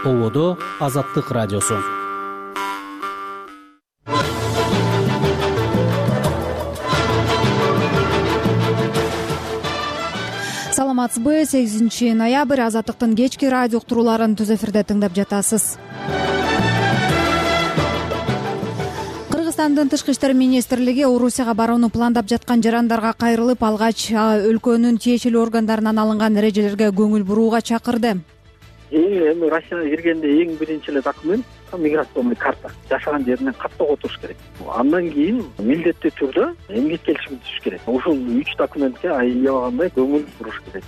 Ободо Азаттык радиосу. Саламатсызбы? 8 ноябрь Азаттыктын кечки радио уктурууларын түз эфирде тыңдап жатасыз. Кыргызстандын Тышкы иштер министрлиги Орусияга барууну пландап жаткан жарандарга кайрылып, алгач өлкөнүн тиешелүү органдарынан алынган эрежелерге көңүл бурууга чакырды. Эми Россияга киргенде эң биринчи эле документ миграционный карта. Жашаган жеринен каттоого отуруш керек. Андан кийин милдеттүү түрдө эмгек келишими түзүш керек. Ушул 3 документке аябагандай көңүл буруш керек.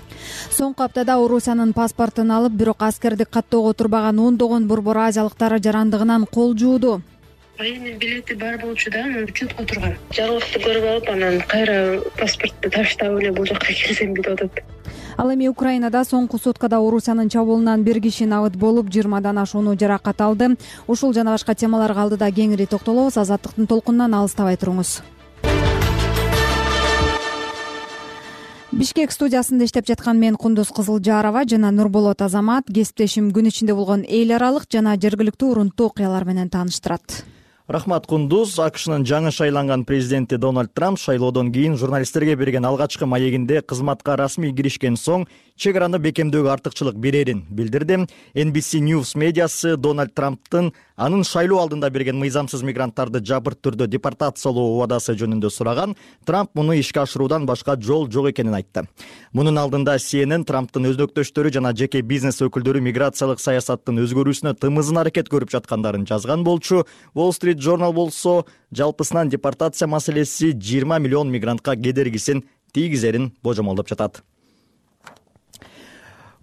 Соңку аптада Орусиянын паспортун алып, бирок аскердик каттоого отурбаган ондогон борбор азиялыктар жарандыгынан кол жууду. Военный билети бар болчу да, учетко турган. Жалгыкты көрүп алып, анан кайра паспортду таштап эле бул жакка келсем деп атат. Ал эми Украинада соңку суткада Орусиянын чабуулунан 1 киши набыт болуп, 20дан ашууну жаракат алды. Ушул жана башка темаларга алдыда кеңири токтолобуз. Азаттыктын толкунунан алыстабай туруңуз. Бишкек студиясында иштеп жаткан мен Кундуз Кызылжарова жана Нурболот Азамат кесиптешим күн ичинде болгон эл аралык жана жергиликтүү урунттуу окуялар менен тааныштырат. Рахмат, Кундуз. АКШнын жаңы шайланган президенти Дональд Трамп шайлоодон кийин журналисттерге берген алгачкы маегинде кызматка расмий киришкен соң чек араны бекемдөөгө артыкчылык берерин билдирди. NBC News медиасы Дональд Трамптын анын шайлоо алдында берген мыйзамсыз мигранттарды жабырт түрдө депортациялоо убадасы жөнүндө сураган. Трамп муну ишке ашыруудан башка жол жок экенин айтты. Мунун алдында CNN Трамптын өзнөктөштөрү жана жеке бизнес өкүлдөрү миграциялык саясаттын өзгөрүүсүнө тымызын аракет көрүп жаткандарын жазган болчу. Wall Street Journal болсо жалпысынан депортация маселеси 20 миллион мигрантка кедергисин тийгизерин божомолдоп жатат.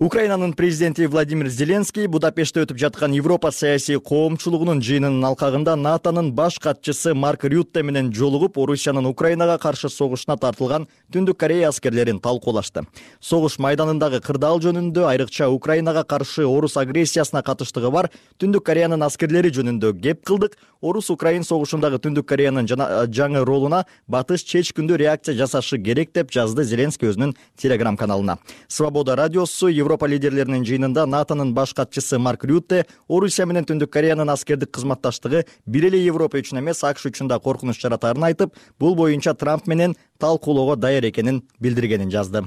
Украинанын президенти Владимир Зеленский Будапештте өтүп жаткан Европа саясий коомчулугунун жыйынынын алкагында НАТОнун баш катчысы Марк Рютте менен жолугуп, Орусиянын Украинага каршы согушуна тартылган Түндүк Корея аскерлерин талкуулашты. Согуш майданындагы кырдаал жөнүндө, айрыкча Украинага каршы орус агрессиясына катыштыгы бар Түндүк Кореянын аскерлери жөнүндө кеп кылдык. Орус-Украин согушундагы Түндүк Кореянын жаңы ролуна батыш чечкиндүү реакция жасашы керек деп жазды Зеленский өзүнүн Telegram каналына. Свобода радиосу Европа лидерлеринин жыйынында НАТОнун баш катчысы Марк Рютте Орусия менен Түндүк Кореянын аскердик кызматташтыгы бир эле Европа үчүн эмес, АКШ үчүн да коркунуч жаратарын айтып, бул боюнча Трамп менен талкуулоого даяр экенин билдиргенин жазды.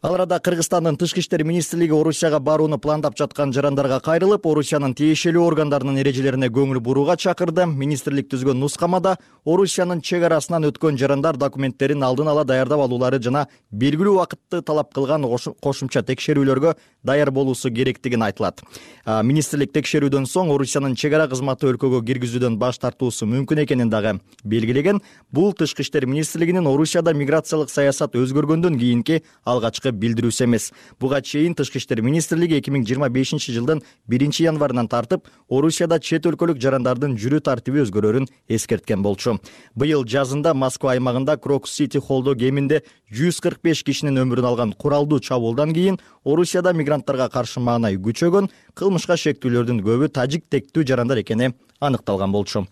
Ал арада Кыргызстандын Тышкы иштер министрлиги Орусияга барууну пландап жаткан жарандарга кайрылып, Орусиянын тиешелүү органдарынын эрежелерине көңүл бурууга чакырды. Министрлик түзгөн нускамада Орусиянын чек арасынан өткөн жарандар документтерин алдын ала даярдап алуулары жана белгилүү убакытты талап кылган кошумча текшерүүлөргө даяр болуусу керектигин айтылат. Министрлик текшерүүдөн соң Орусиянын чек ара кызматы өлкөгө киргизүүдөн баш тартуусу мүмкүн экенин дагы белгилеген. Бул Тышкы иштер министрлигинин Орусияда миграциялык саясат өзгөргөндөн кийинки алгачкы билдирүүсү эмес. Буга чейин Тышкы иштер министрлиги 2025-жылдын 1-январынан тартып, Орусияда чет өлкөлүк жарандардын жүрүү тартиби өзгөрөрүн эскерткен болчу. Быйыл жазында Москва аймагында Крокус-Сити холдо кеминде 145 кишинин өмүрүн алган куралдуу чабуулдан кийин Орусияда мигранттарга каршы маанай күчөгөн, кылмышка шектүүлөрдүн көбү тажик тектүү жарандар экени аныкталган болчу.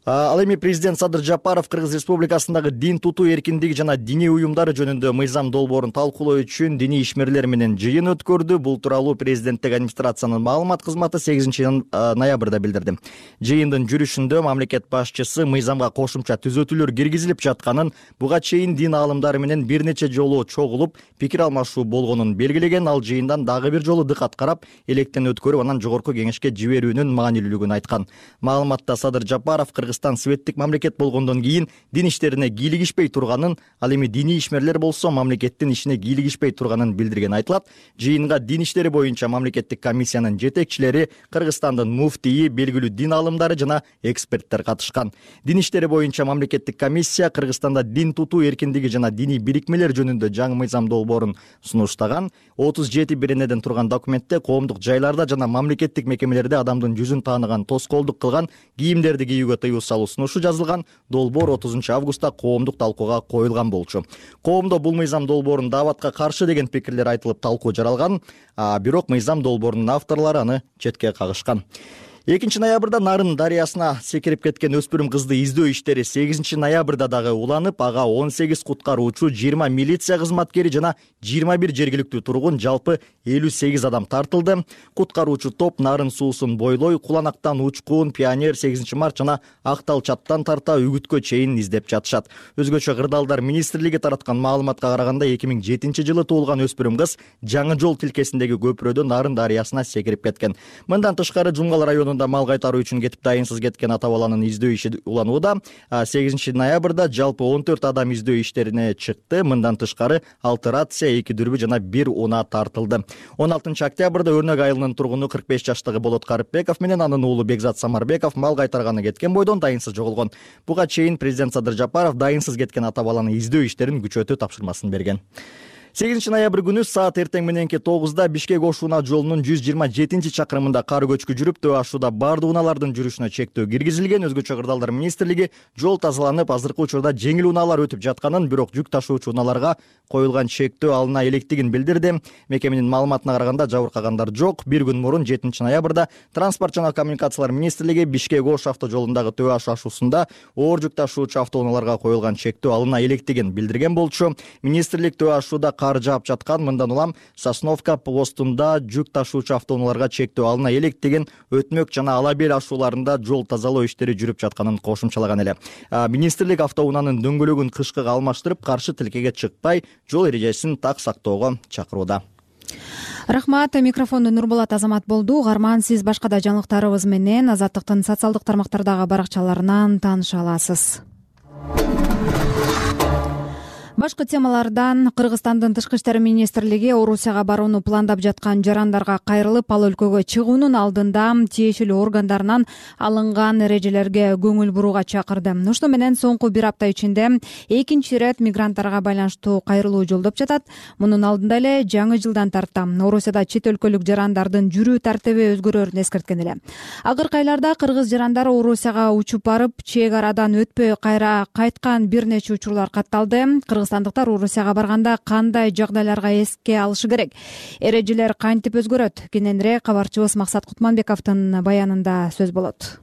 Ал эми президент Садыр Жапаров Кыргыз Республикасындагы дин тутуу эркиндиги жана диний уюмдары жөнүндө мыйзам долбоорун талкуулоо үчүн диний ишмерлер менен жыйын өткөрдү. Бул тууралуу президенттик администрациянын маалымат кызматы 8 ноябрда билдирди. Жыйындын жүрүшүндө мамлекет башчысы мыйзамга кошумча түзөтүүлөр киргизилип жатканын, буга чейин дин аалымдары менен бир нече жолу чогулуп, пикир алмашуу болгонун белгилеген. Ал жыйындан дагы бир жолу дыкат карап, электен өткөрүп, анан жогорку кеңешке жиберүүнүн маанилүүлүгүн айткан. Маалыматта Садыр Жапаров светтик мамлекет болгондон кийин дин иштерине кийлигишпей турганын, ал эми диний ишмерлер болсо мамлекеттин ишине кийлигишпей турганын билдирген айтылат. Жыйынга дин иштери боюнча мамлекеттик комиссиянын жетекчилери, Кыргызстандын муфтийи, белгилүү дин аалымдары жана эксперттер катышкан. Дин иштери боюнча мамлекеттик комиссия Кыргызстанда дин тутуу эркиндиги жана диний бирикмелер жөнүндө жаңы мыйзам долбоорун сунуштаган. 37 беренеден турган документте коомдук жайларда жана мамлекеттик мекемелерде адамдын жүзүн тааныган, тоскоолдук кылган кийимдерди кийүүгө тыюу салуу сунушу жазылган. Долбоор 30 августта коомдук талкууга коюлган болчу. Коомдо бул мыйзам долбоорун дааватка каршы деген пикирлер айтылып талкуу жаралган, бирок мыйзам долбоорунун авторлору аны четке кагышкан. 2 ноябрда Нарын дарыясына секирип кеткен өспүрүм кызды издөө иштери 8 ноябрда дагы уланып, ага 18 куткаруучу, 20 милиция кызматкери жана 21 жергиликтүү тургун, жалпы 58 адам тартылды. Куткаруучу топ Нарын суусун бойлой, Куланактан Учкун, Пионер, 8 март жана Актал чаттан тарта Үгүткө чейин издеп жатышат. Өзгөчө Кырдаалдар министрлиги тараткан маалыматка караганда 2007 жылы туулган өспүрүм кыз Жаңы жол тилкесиндеги көпүрөдөн Нарын дарыясына секирип кеткен. Мындан тышкары Жумгал районунда мал кайтаруу үчүн кетип дайынсыз кеткен ата баланын издөө иши уланууда. 8 ноябрда жалпы 14 адам издөө иштерине чыкты. Мындан тышкары 6 рация, 2 дүрбү жана 1 унаа тартылды. 16 октябрда Өрнөк айылынын тургуну 45 жаштагы Болот Карыпбеков менен анын уулу Бекзат Самарбеков мал кайтарганы кеткен бойдон дайынсыз жоголгон. Буга чейин президент Садыр Жапаров дайынсыз кеткен ата баланы издөө иштерин күчөтүү тапшырмасын берген. 8 ноябрь күнү саат эртең мененки 9-да Бишкек Ош-Унаа жолунун 127 чакырымында кар көчкү жүрүп, Төө Ашууда бардык унаалардын жүрүшүнө чектөө киргизилген. Өзгөчө Кырдаалдар министрлиги жол тазаланып, азыркы учурда жеңил унаалар өтүп жатканын, бирок жүк ташуучу унааларга коюлган чектөө алына электигин билдирди. Мекеменин маалыматына караганда жабыркагандар жок. Бир күн мурун 7 ноябрда Транспорт жана коммуникациялар министрлиги Бишкек Ош автожолундагы Төө Аш ашуусунда оор жүк ташуучу автоунааларга коюлган чектөө алына электигин билдирген болчу. Министрлик Төө Ашууда кар жаап жаткан, мындан улам Сосновка постунда жүк ташуучу автоунааларга чектөө алына электигин, Өтмөк жана Алабел ашууларында жол тазалоо иштери жүрүп жатканын кошумчалаган эле. Министрлик автоунаанын дөңгөлөгүн кышкыга алмаштырып, каршы тилкеге чыкпай, жол эрежесин так сактоого чакырууда. Рахмат. Микрофонду Нурболот Азамат болду. Угарман, сиз башка да жаңылыктарыбыз менен Азаттыктын социалдык тармактардагы баракчаларынан тааныша аласыз. Башкы темалардан Кыргызстандын Тышкы иштер министрлиги Орусияга барууну пландап жаткан жарандарга кайрылып, ал өлкөгө чыгуунун алдында тиешелүү органдарынан алынган эрежелерге көңүл бурууга чакырды. Ошону менен соңку бир апта ичинде экинчи ирет мигранттарга байланыштуу кайрылуу жолдоп жатат. Мунун алдында эле жаңы жылдан тарта Орусияда чет өлкөлүк жарандардын жүрүү тартиби өзгөрөөрүн эскерткен эле. Акыркы айларда кыргыз жарандары Орусияга учуп барып, чек арадан өтпөй кайра кайткан бир нече учурлар катталды. Кыргызстандыктар Орусияга барганда кандай жагдайларга эске алышы керек? Эрежелер кантип өзгөрөт? Кененирээк кабарчыбыз Максат Кутманбековдун баянында сөз болот.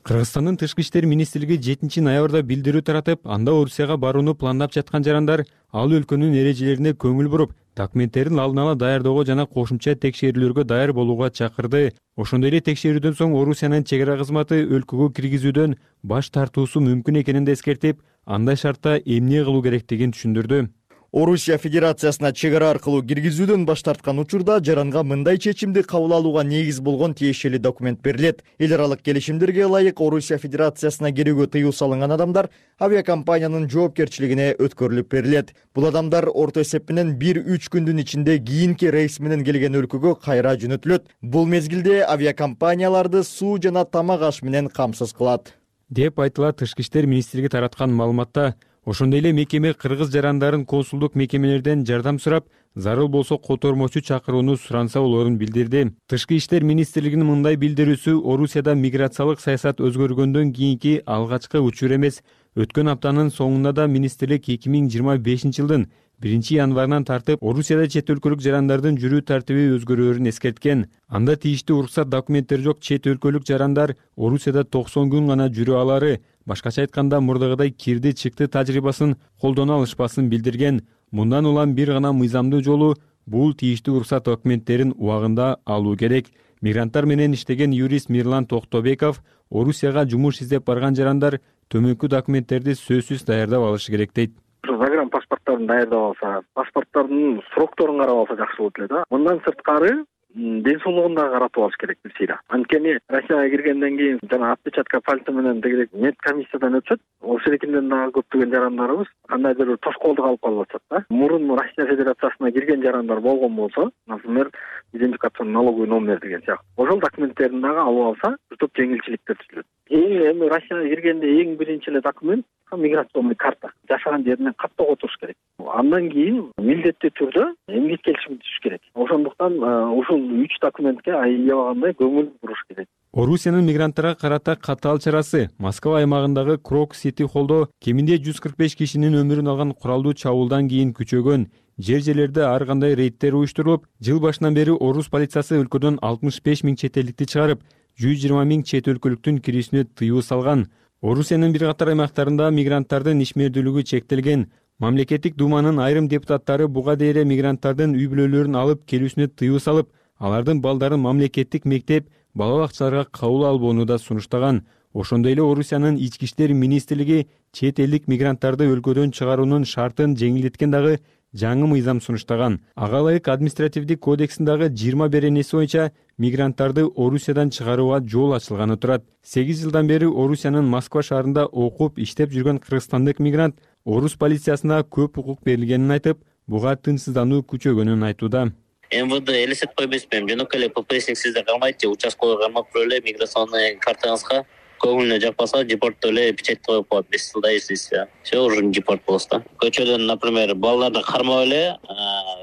Кыргызстандын Тышкы иштер министрлиги 7 ноябрда билдирүү таратып, анда Орусияга барууну пландап жаткан жарандар ал өлкөнүн эрежелерине көңүл буруп, документтерин алдын ала даярдоого жана кошумча текшерүүлөргө даяр болууга чакырды. Ошондой эле текшерүүдөн соң Орусиянын чек ара кызматы өлкөгө киргизүүдөн баш тартуусу мүмкүн экенин да эскертип, андай шартта эмне кылуу керектигин түшүндүрдү. Орусия Федерациясына чек ара аркылуу киргизүүдөн баш тарткан учурда жаранга мындай чечимди кабыл алууга негиз болгон тиешелүү документ берилет. Эл аралык келишимдерге ылайык Орусия Федерациясына кирүүгө тыюу салынган адамдар авиакомпаниянын жоопкерчилигине өткөрүлүп берилет. Бул адамдар орто эсеп менен 1-3 күндүн ичинде кийинки рейс менен келген өлкөгө кайра жөнөтүлөт. Бул мезгилде авиакомпанияларды суу жана тамак аш менен камсыз кылат, деп айтылат Тышкы иштер министрлиги тараткан маалыматта. Ошондой эле мекеме кыргыз жарандарын консулдук мекемелерден жардам сурап, зарыл болсо котормочу чакырууну суранса болоорун билдирди. Тышкы иштер министрлигинин мындай билдирүүсү Орусияда миграциялык саясат өзгөргөндөн кийинки алгачкы учур эмес. Өткөн аптанын соңунда да министрлик 2025 жылдын 1 январынан тартып Орусияда чет өлкөлүк жарандардын жүрүү тартиби өзгөрөөрүн эскерткен. Анда тийиштүү уруксат документтери жок чет өлкөлүк жарандар Орусияда 90 күн гана жүрө алары, башкача айтканда мурдагыдай кирди чыкты тажрыйбасын колдоно алышпасын билдирген. Мындан улам бир гана мыйзамдуу жолу бул тийиштүү уруксат документтерин убагында алуу керек. Мигранттар менен иштеген юрист Мирлан Токтобеков Орусияга жумуш издеп барган жарандар төмөнкү документтерди сөзсүз даярдап алышы керек дейт. Загран паспорттарын даярдап алса, паспорттардын срокторун карап алса жакшы болот эле да. Мындан сырткары ден соолугун да каратып алыш керек бирсийра. Анткени Россияга киргенден кийин жана отпечатка пальца менен дегелек медкомиссиядан өтүшөт. Ошол экинден дагы көптөгөн жарандарыбыз кандайдыр тоскоолдук алып калып атышат да. Мурун Россия Федерациясына кирген жарандар болгон болсо, например, идентификационный налоговый номер деген сыяктуу. Ошол документтерин дагы алып алса, топ жеңилчиликтер түзүлөт. Эми Россияга киргенде эң биринчи эле документ миграционный карта. Жашаган жеринен каттоого туруш керек. Андан кийин милдеттүү түрдө эмгек келишими түзүш керек. Ошондуктан ушул 3 документке аябагандай көңүл буруш керек. Орусиянын мигранттарга карата катаал чарасы Москва аймагындагы Крок Сити холлдо кеминде 145 кишинин өмүрүн алган куралдуу чабуулдан кийин күчөгөн. Жер-жерлерде ар кандай рейдтер уюштурулуп, жыл башынан бери орус полициясы өлкөдөн 65 000 чет элдикти чыгарып, 120 миң чет өлкөлүктүн кирүүсүнө тыюу салган. Орусиянын бир катар аймактарында мигранттардын ишмердүүлүгү чектелген. Мамлекеттик думанын айрым депутаттары буга дейре мигранттардын үй бүлөлөрүн алып келүүсүнө тыюу салып, алардын балдарын мамлекеттик мектеп, бала бакчаларга кабыл албоону да сунуштаган. Ошондой эле Орусиянын ички иштер министрлиги чет элдик мигранттарды өлкөдөн чыгаруунун шартын жеңилдеткен дагы жаңы мыйзам сунуштаган. Ага ылайык административдик кодексиндагы 20 беренеси боюнча мигранттарды Орусиядан чыгарууга жол ачылганы турат. 8 жылдан бери Орусиянын Москва шаарында окуп, иштеп жүргөн кыргызстандык мигрант орус полициясына көп укук берилгенин айтып, буга тынчсыздануу күчөгөнүн айтууда. МВД элестетип койбойсузбу? Жөнөкөй эле ППСник сизде калмайт же участкага кармап эле миграционный картаңызга көңүлүнө жакпаса депорттоп эле печать коюп коет. 5 жылда издейсиз. Все уже депорт болосуз да. Көчөдөн, например, балдарды кармап эле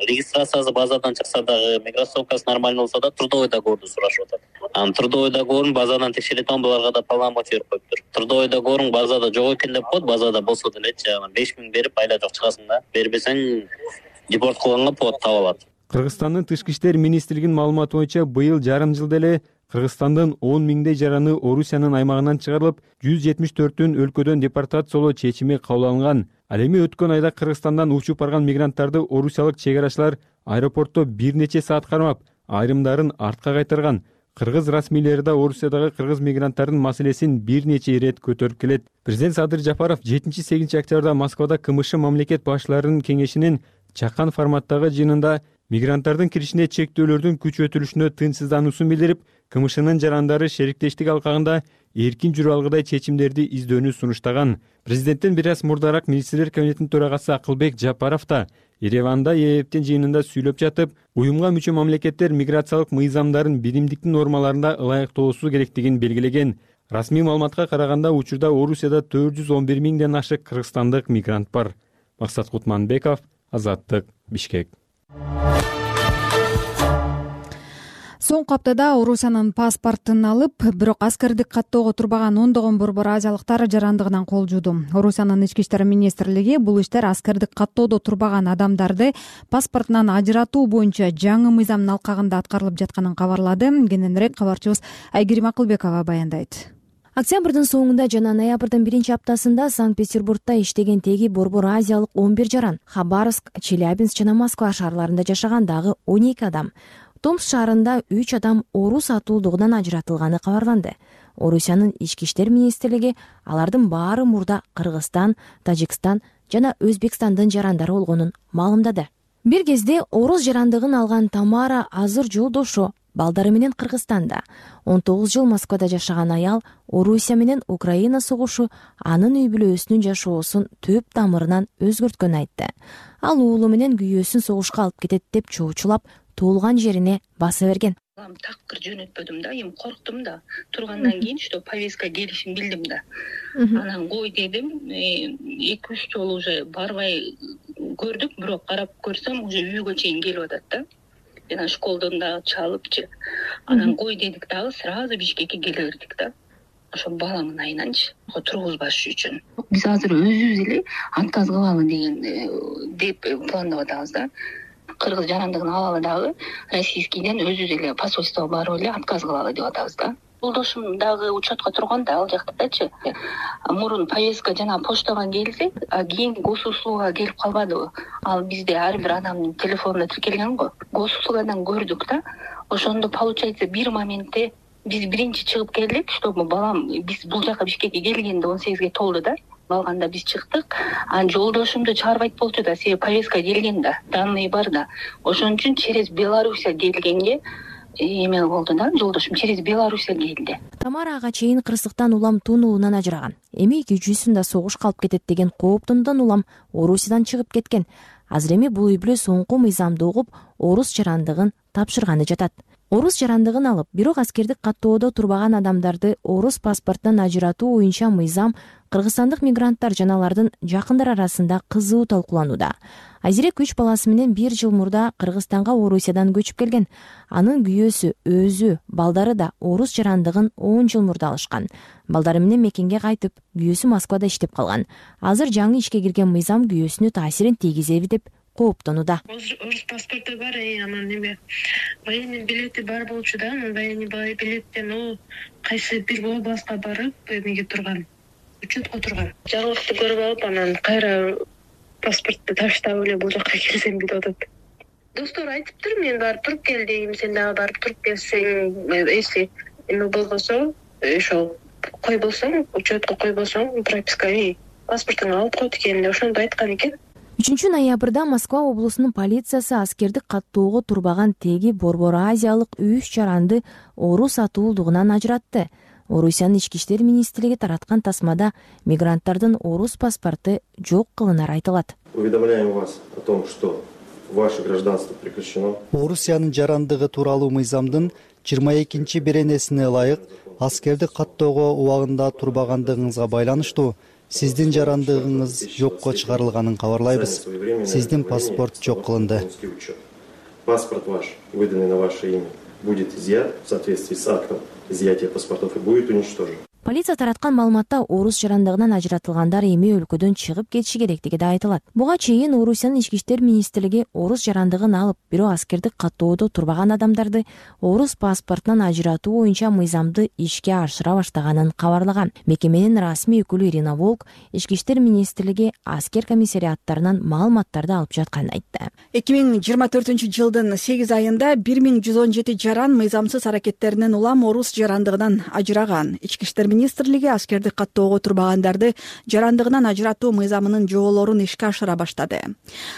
регистрациясы базадан чыкса дагы, миграцовкасы нормально болсо да трудовой договорду сурашып атат. Трудовой договорун базадан текшерет, буларга да полномочия берип коюптур. Трудовой договоруң базада жок экен деп коет, базада болсо делечи, 5 миң берип айла жок чыгасың да. Бербесең депорт кылганга повод таап алат. Кыргызстандын Тышкы иштер министрлигинин маалыматы боюнча быйыл жарым жылда эле Кыргызстандын 10 миңдей жараны Орусиянын аймагынан чыгарылып, 174-түн өлкөдөн депортациялоо чечими кабыл алынган. Ал эми өткөн айда Кыргызстандан учуп барган мигранттарды орусиялык чек арачылар аэропортто бир нече саат кармап, айрымдарын артка кайтарган. Кыргыз расмийлери да Орусиядагы кыргыз мигранттардын маселесин бир нече ирет көтөрүп келет. Президент Садыр Жапаров 7-8 октябрда Москвада КМШ мамлекет башчыларынын кеңешинин чакан форматтагы жыйынында мигранттардын киришине чектөөлөрдүн күчөтүлүшүнө тынчсыздануусун билдирип, КМШнын жарандары шериктештик алкагында эркин жүрүп алгыдай чечимдерди издөөнү сунуштаган. Президенттен бир аз мурдараак министрлер кабинетинин төрагасы Акылбек Жапаров да Ереванда ЕЭПтин жыйынында сүйлөп жатып, уюмга мүчө мамлекеттер миграциялык мыйзамдарын биримдиктин нормаларында ылайыктоосу керектигин белгилеген. Расмий маалыматка караганда учурда Орусияда 411 миңден ашык кыргызстандык мигрант бар. Максат Кутманбеков, Азаттык, Бишкек. Соңку аптада Орусиянын паспортун алып, бирок аскердик каттоого турбаган ондогон борбор азиялыктар жарандыгынан кол жууду. Орусиянын ички иштер министрлиги бул иштер аскердик каттоодо турбаган адамдарды паспортунан ажыратуу боюнча жаңы мыйзамдын алкагында аткарылып жатканын кабарлады. Кененирээк кабарчыбыз Айгерим Акылбекова баяндайт. Октябрдын соңунда жана ноябрдын 1-аптасында Санкт-Петербургда иштеген теги борбор азиялык 11 жаран, Хабаровск, Челябинск жана Москва шаарларында жашаган дагы 12 адам, Томск шаарында 3 адам орус атуулдугунан ажыратылганы кабарланды. Орусиянын ички иштер министрлиги алардын баары мурда Кыргызстан, Тажикстан жана Өзбекстандын жарандары болгонун маалымдады. Бир кезде орус жарандыгын алган Тамара азыр жолдошу балдары менен Кыргызстанда, 19 жыл Москвада жашаган аял Орусия менен Украина согушу анын үй бүлөсүнүн жашоосун төп тамырынан өзгөрткөнүн айтты. Ал уулу менен күйөөсүн согушка алып кетет деп чоочулап, туулган жерине баса берген. Такыр жөнөтпөдүм да, эми корктум да. Тургандан кийин что повестка келишин билдим да. Анан кой дедим, 2-3 жолу уже барбай көрдүк, бирок карап көрсөм уже үйгө чейин келип атат да. Жана школдон да чалыпчы. Анан кой дедик дагы сразу Бишкекке келе бердик да. Ошо баламын айнанчы тургузбаш үчүн. Биз азыр өзүбүз эле отказ кылалы деген деп пландап атабыз да. Кыргыз жарандыгын алалы дагы российскийден өзүбүз эле посольствого барып эле отказ кылалы деп атабыз да. Жолдошум дагы учетко турган да ал жактачы. Мурун повестка жана почтага келсе, кийин госуслугага келип калбадыбы? Ал бизде ар бир адамдын телефонуна тиркелген го. Госуслугадан көрдүк да. Ошондо получается бир моментте биз биринчи чыгып келдик, чтобы балам биз бул жака Бишкекке келгенде 18ге толду да. Балганда биз чыктык. Жолдошумду чыгарбайт болчу да, себеби повестка келген да, данные бар да. Ошон үчүн через Белоруссия келгенге эме болду да, жолдошум через Белоруссия келди. Тамара ага чейин кырсыктан улам тунуунан ажыраган. Эми күйүүсүн да согушка алып кетет деген кооптондон улам Орусиядан чыгып кеткен. Азыр эми бул үй бүлө соңку мыйзамды угуп, орус жарандыгын тапшырганы жатат. Орус жарандыгын алып, бирок аскердик каттоодо турбаган адамдарды орус паспортунан ажыратуу боюнча мыйзам кыргызстандык мигранттар жана алардын жакындар арасында кызуу талкууланууда. Айзирек 3 баласы менен 1 жыл мурда Кыргызстанга Орусиядан көчүп келген. Анын күйөөсү, өзү, балдары да орус жарандыгын 10 жыл мурда алышкан. Балдары менен мекенге кайтып, күйөөсү Москвада иштеп калган. Азыр жаңы ишке кирген мыйзам күйөөсүнө таасирин тийгизеби деп кооптонууда. Орус паспорту бар, анан эме военный билети бар болчу да, анан военный билеттен кайсы бир областка барып эмеге турган, учетко турган. Жаңылыкты көрүп алып, анан кайра паспортду таштап эле бул жака келсем деп атат. Достор айтыптыр, мен барып туруп кел дейм, сен дагы барып туруп келсең, если эме болбосо, ошол кой болсоң, учетко кой болсоң, прописка паспортуңду алып койт экен деп ошондо айткан экен. 3 ноябрда Москва облусунун полициясы аскерди каттоого турбаган теги Борбор Азиялык 3 жаранды орус атуулдугунан ажыратты. Орусиянын ички иштер министрлиги тараткан тасмада мигранттардын орус паспорту жок кылынары айтылат. Уведомляем вас о том, что ваше гражданство прекращено. Орусиянын жарандыгы тууралуу мыйзамдын 22 беренесине ылайык аскерди каттоого убагында турбагандыгыңызга байланыштуу сиздин жарандыгыңыз жокко чыгарылганын кабарлайбыз. Сиздин паспорт жок кылынды. Паспорт ваш, выданный на ваше имя, будет изъят в соответствии с актом изъятия паспортов и будет уничтожен. Полиция тараткан маалыматта орус жарандыгынан ажыратылгандар эми өлкөдөн чыгып кетиши керектиги да айтылат. Буга чейин Орусиянын ички иштер министрлиги орус жарандыгын алып, бирок аскерди каттоодо турбаган адамдарды орус паспортунан ажыратуу боюнча мыйзамды ишке ашыра баштаганын кабарлаган. Мекеменин расмий өкүлү Ирина Волк ички иштер министрлиги аскер комиссариаттарынан маалыматтарды алып жатканын айтты. 2024-жылдын 8 айында 1117 жаран мыйзамсыз аракеттеринен улам орус жарандыгынан ажыраган. Ички иштер министрлиги аскерди каттоого турбагандарды жарандыгынан ажыратуу мыйзамынын жоболорун ишке ашыра баштады.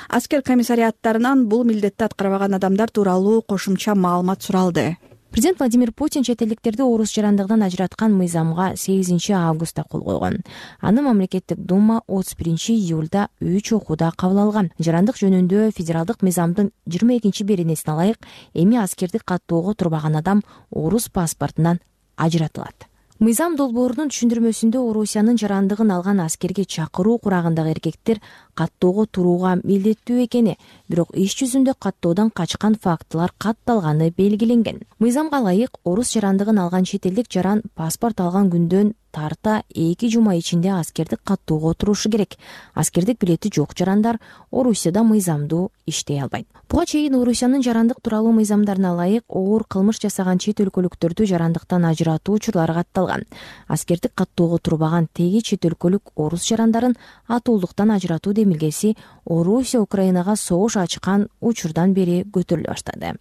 Аскер комиссариаттарынан бул милдетти аткарбаган адамдар тууралуу кошумча маалымат суралды. Президент Владимир Путин чет элдиктерди орус жарандыгынан ажыраткан мыйзамга 8 августта кол койгон. Аны мамлекеттик дума 31 июлда 3 окууда кабыл алган. Жарандык жөнүндө федералдык мыйзамдын 22 беренесине ылайык эми аскерди каттоого турбаган адам орус паспортунан ажыратылат. Мыйзам долбоорунун түшүндүрмөсүндө Орусиянын жарандыгын алган аскерге чакыруу курагындагы эркектер каттоого турууга милдеттүү экени, бирок иш жүзүндө каттоодон качкан фактылар катталганы белгиленген. Мыйзамга ылайык орус жарандыгын алган чет элдик жаран паспорт алган күндөн тарта 2 жума ичинде аскерди каттоого турушу керек. Аскердик билети жок жарандар Орусияда мыйзамдуу иштей албайт. Буга чейин Орусиянын жарандык тууралуу мыйзамдарына ылайык оор кылмыш жасаган чет өлкөлүктөрдү жарандыктан ажыратуу учурлары катталган. Аскердик каттоого турбаган теги чет өлкөлүк орус жарандарын атуулдуктан ажыратуу демилгеси Орусия Украинага согуш ачкан учурдан бери көтөрүлө баштады.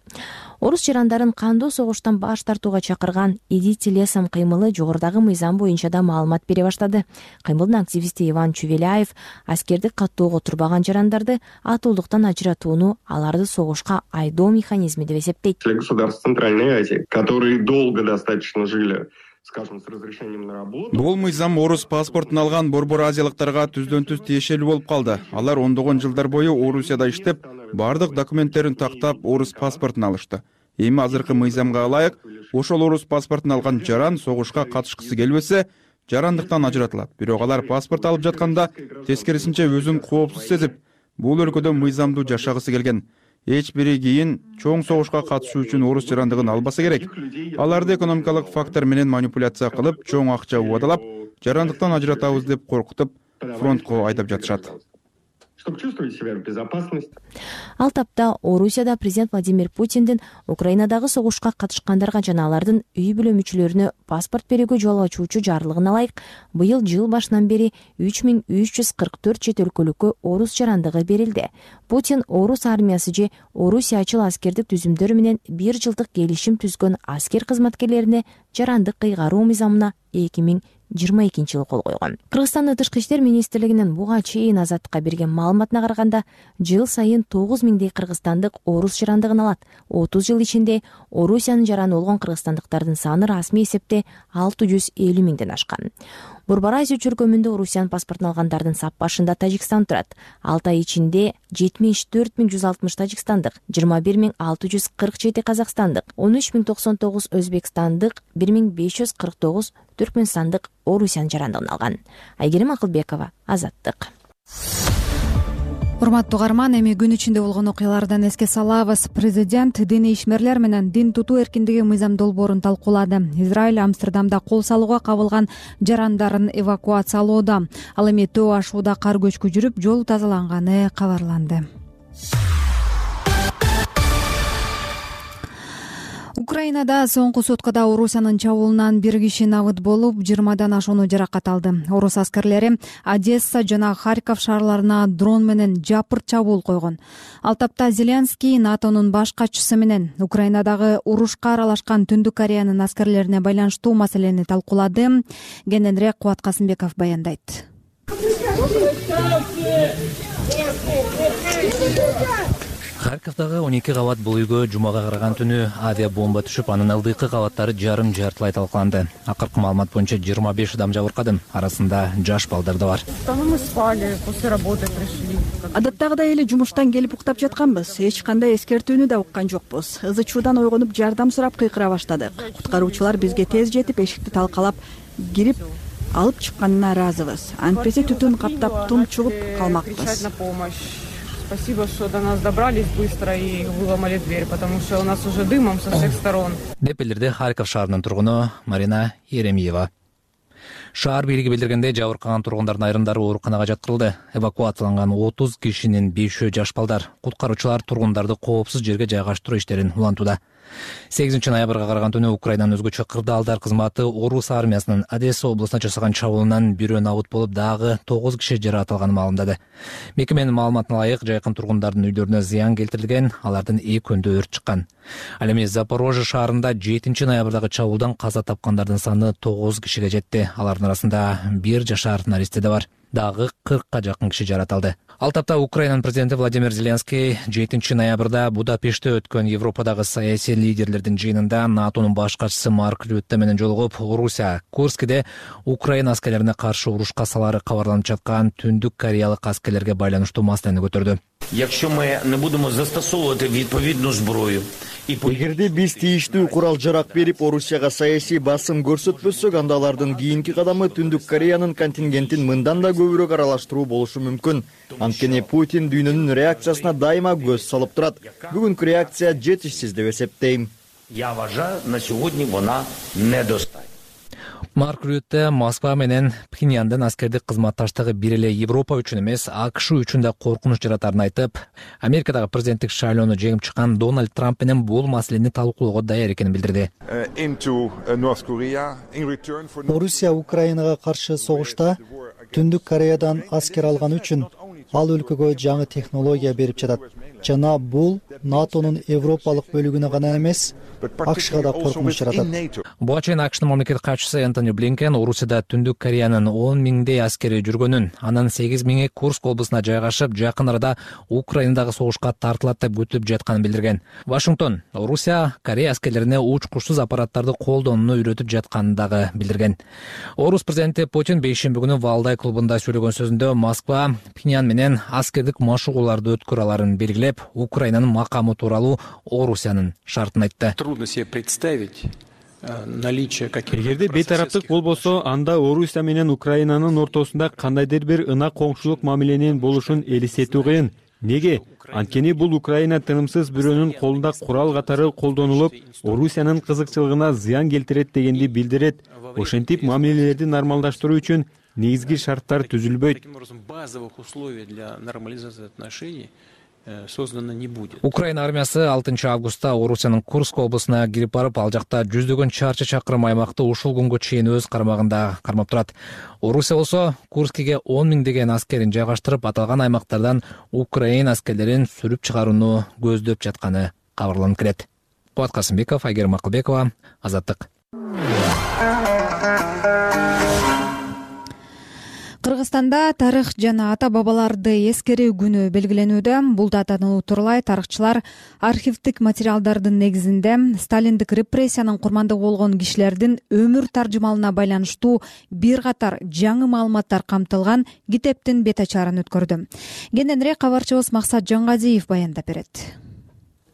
Орус жарандарын кандуу согуштан баш тартууга чакырган «Идите лесом» кыймылы жогорудагы мыйзам боюнча да маалымат бере баштады. Кыймылдын активисти Иван Чувеляев аскерди каттоого турбаган жарандарды атуулдуктан ажыратууну аларды согушка айдоо механизми деп эсептейт. Государств Центральной Азии, которые долго достаточно жили, скажем, с разрешением на работу. Бул мыйзам орус паспортун алган борбор азиялыктарга түздөн-түз тиешелүү болуп калды. Алар ондогон жылдар бою Орусияда иштеп, бардык документтерин тактап орус паспортун алышты. Эми азыркы мыйзамга ылайык ошол орус паспортун алган жаран согушка катышкысы келбесе, жарандыктан ажыратылат. Бирок алар паспорт алып жатканда тескерисинче өзүн коопсуз сезип, бул өлкөдө мыйзамдуу жашагысы келген. Эч бири кийин чоң согушка катышуу үчүн орус жарандыгын албаса керек. Аларды экономикалык фактор менен манипуляция кылып, чоң акча убадалап, жарандыктан ажыратабыз деп коркутуп, фронтко айдап жатышат. Чтобы чувствовать себя в безопасности. Ал тапта Орусияда президент Владимир Путиндин Украинадагы согушка катышкандарга жана алардын үй бүлө мүчөлөрүнө паспорт берүүгө жол ачуучу жарлыгына ылайык быйыл жыл башынан бери 3344 чет өлкөлүккө орус жарандыгы берилди. Путин орус армиясы же орусиячыл аскердик түзүмдөр менен 1 жылдык келишим түзгөн аскер кызматкерлерине жарандык кыйгаруу мыйзамына 2022 жылы кол койгон. Кыргызстандын тышкы иштер министрлигинин буга чейин Азаттыкка берген маалыматына караганда, жыл сайын 9000дей кыргызстандык орус жарандыгын алат. 30 жыл ичинде Орусиянын жараны болгон кыргызстандыктардын саны расмий эсепте 650 миңден ашкан. Борбор Азия чөркөмүндө Орусиянын паспортун алгандардын сап башында Тажикстан турат. 6 ай ичинде 74160 тажикстандык, 21647 казакстандык, 13099 өзбекстандык, 1549 түркмөнстандык Орусиянын жарандыгын алган. Айгерим Акылбекова, Азаттык. Урматтуу угарман, эми күн ичинде болгон окуялардан эске салабыз. Президент диний ишмерлер менен дин тутуу эркиндиги мыйзам долбоорун талкуулады. Израиль Амстердамда кол салууга кабылган жарандарын эвакуациялоодо. Ал эми төө ашууда кар көчкү жүрүп, жол тазаланганы кабарланды. Украинада соңку суткада Орусиянын чабуулунан бир киши набыт болуп, 20дан ашууну жаракат алды. Орус аскерлери Одесса жана Харьков шаарларына дрон менен жапырт чабуул койгон. Ал тапта Зеленский НАТОнун баш катчысы менен Украинадагы урушка аралашкан Түндүк Кореянын аскерлерине байланыштуу маселени талкуулады. Кененирээк Кубат Касымбеков баяндайт. Харьковдагы 12 кабат бул үйгө жумага караган түнү авиабомба түшүп, анын ылдыйкы кабаттары жарым-жартылай талкаланды. Акыркы маалымат боюнча 25 адам жабыркады, арасында жаш балдар да бар. Адаттагыдай эле жумуштан келип уктап жатканбыз. Эч кандай эскертүүнү да уккан жокпуз. Ызы-чуудан ойгонуп жардам сурап кыйкыра баштадык. Куткаруучулар бизге тез жетип, эшикти талкалап кирип алып чыкканына ыраазыбыз. Антпесе түтүн каптап тумчугуп калмакпыз. Спасибо, что до нас добрались быстро и выломали дверь, потому что у нас уже дымом со всех сторон. Деп билдирди Харьков шаарынын тургуну Марина Еремиева. Шаар бийлиги билдиргендей, жабыркаган тургундардын айрымдары ооруканага жаткырылды. Эвакуацияланган 30 кишинин 5-өө жаш балдар. Куткаруучулар тургундарды коопсуз жерге жайгаштыруу иштерин улантууда. 8 ноябрга караган түнү Украинанын өзгөчө кырдаалдар кызматы Орус армиясынын Одесса облусуна жасаган чабуулунан бирөө набыт болуп, дагы 9 киши жаракат маалымдады. Мекеменин маалыматына ылайык, жайкын тургундардын үйлөрүнө зыян келтирилген, алардын экөөндө өрт чыккан. Ал эми Запорожье шаарында 7 ноябрдагы чабуулдан каза тапкандардын саны 9 кишиге жетти. Алардын арасында 1 жашар наристе да бар. Дагы 40ка жакын киши жаратылды. Ал тапта Украинанын президенти Владимир Зеленский 7 ноябрда Будапештте өткөн Европадагы саясий лидерлердин жыйынында НАТОнун баш катчысы Марк Рютте менен жолугуп, Орусия Курскиде Украина аскерлерине каршы урушка салары кабарланып жаткан Түндүк Кореялык аскерлерге байланыштуу маселени көтөрдү. Якщо ми не будемо застосовувати відповідну зброю і эгерде биз тийиштүү курал-жарак берип Орусияга саясий басым көрсөтпөсөк, анда алардын кийинки кадамы Түндүк Кореянын контингентин мындан да көбүрөөк аралаштыруу болушу мүмкүн. Анткени Путин дүйнөнүн реакциясына дайыма көз салып турат. Бүгүнкү реакция жетишсиз деп эсептейм. Я вважаю, на сьогодні вона недостатня. Марк Рютте Москва менен Пхеньяндын аскердик кызматташтыгы бир эле Европа үчүн эмес, АКШ үчүн да коркунуч жаратарын айтып, Америкадагы президенттик шайлоону жеңип чыккан Дональд Трамп менен бул маселени талкуулоого даяр экенин билдирди. Орусия Украинага каршы согушта Түндүк Кореядан аскер алган үчүн ал өлкөгө жаңы технология берип жатат. Жана бул НАТОнун европалык бөлүгүнө гана эмес, АКШга да коркунуч жаратат. Буга чейин АКШнын мамлекеттик катчысы Энтони Блинкен Орусияда Түндүк Кореянын 10 миңдей аскери жүргөнүн, анын 8 миңи Курск облусуна жайгашып, жакын арада Украинадагы согушка тартылат деп күтүлүп жатканын билдирген. Вашингтон Орусия Корея аскерлерине учкучсуз аппараттарды колдонууну үйрөтүп жатканын дагы билдирген. Орус президенти Путин бейшемби күнү Валдай клубунда сөйлөгөн сөзүндө Москва Пхеньян менен аскердик машыгууларды өткөрө аларын белгилеп, Украинанын макамы тууралуу Орусиянын шартын айтты. Трудно себе представить наличие каких-то. Эгерде бейтараптык болбосо, анда Орусия менен Украинанын ортосунда кандайдыр бир ынак коңшулук мамиленин болушун элестетүү кыйын. Неге? Анткени бул Украина тынымсыз бирөөнүн колунда курал катары колдонулуп, Орусиянын кызыкчылыгына зыян келтирет дегенди билдирет. Ошентип мамилелерди нормалдаштыруу үчүн негизги шарттар түзүлбөйт. Базовых условий для нормализации отношений создано не будет. Украина армиясы 6 августта Орусиянын Курск облусуна кирип барып, ал жакта жүздөгөн чарчы чакырым аймакты ушул күнгө чейин өз кармагында кармап турат. Орусия болсо Курскиге 10 миңдеген аскерин жайгаштырып, аталган аймактардан Украина аскерлерин сүрүп чыгарууну көздөп жатканы кабарланып келет. Кубат Касымбеков, Айгерим Акылбекова, Азаттык. Кыргызстанда тарых жана ата-бабаларды эскерүү күнү белгиленүүдө. Бул датаны утурлай тарыхчылар архивдик материалдардын негизинде сталиндик репрессиянын курмандыгы болгон кишилердин өмүр таржымалына байланыштуу бир катар жаңы маалыматтар камтылган китептин бет ачарын өткөрдү. Кененирээк кабарчыбыз Максат Жангазиев баяндап берет.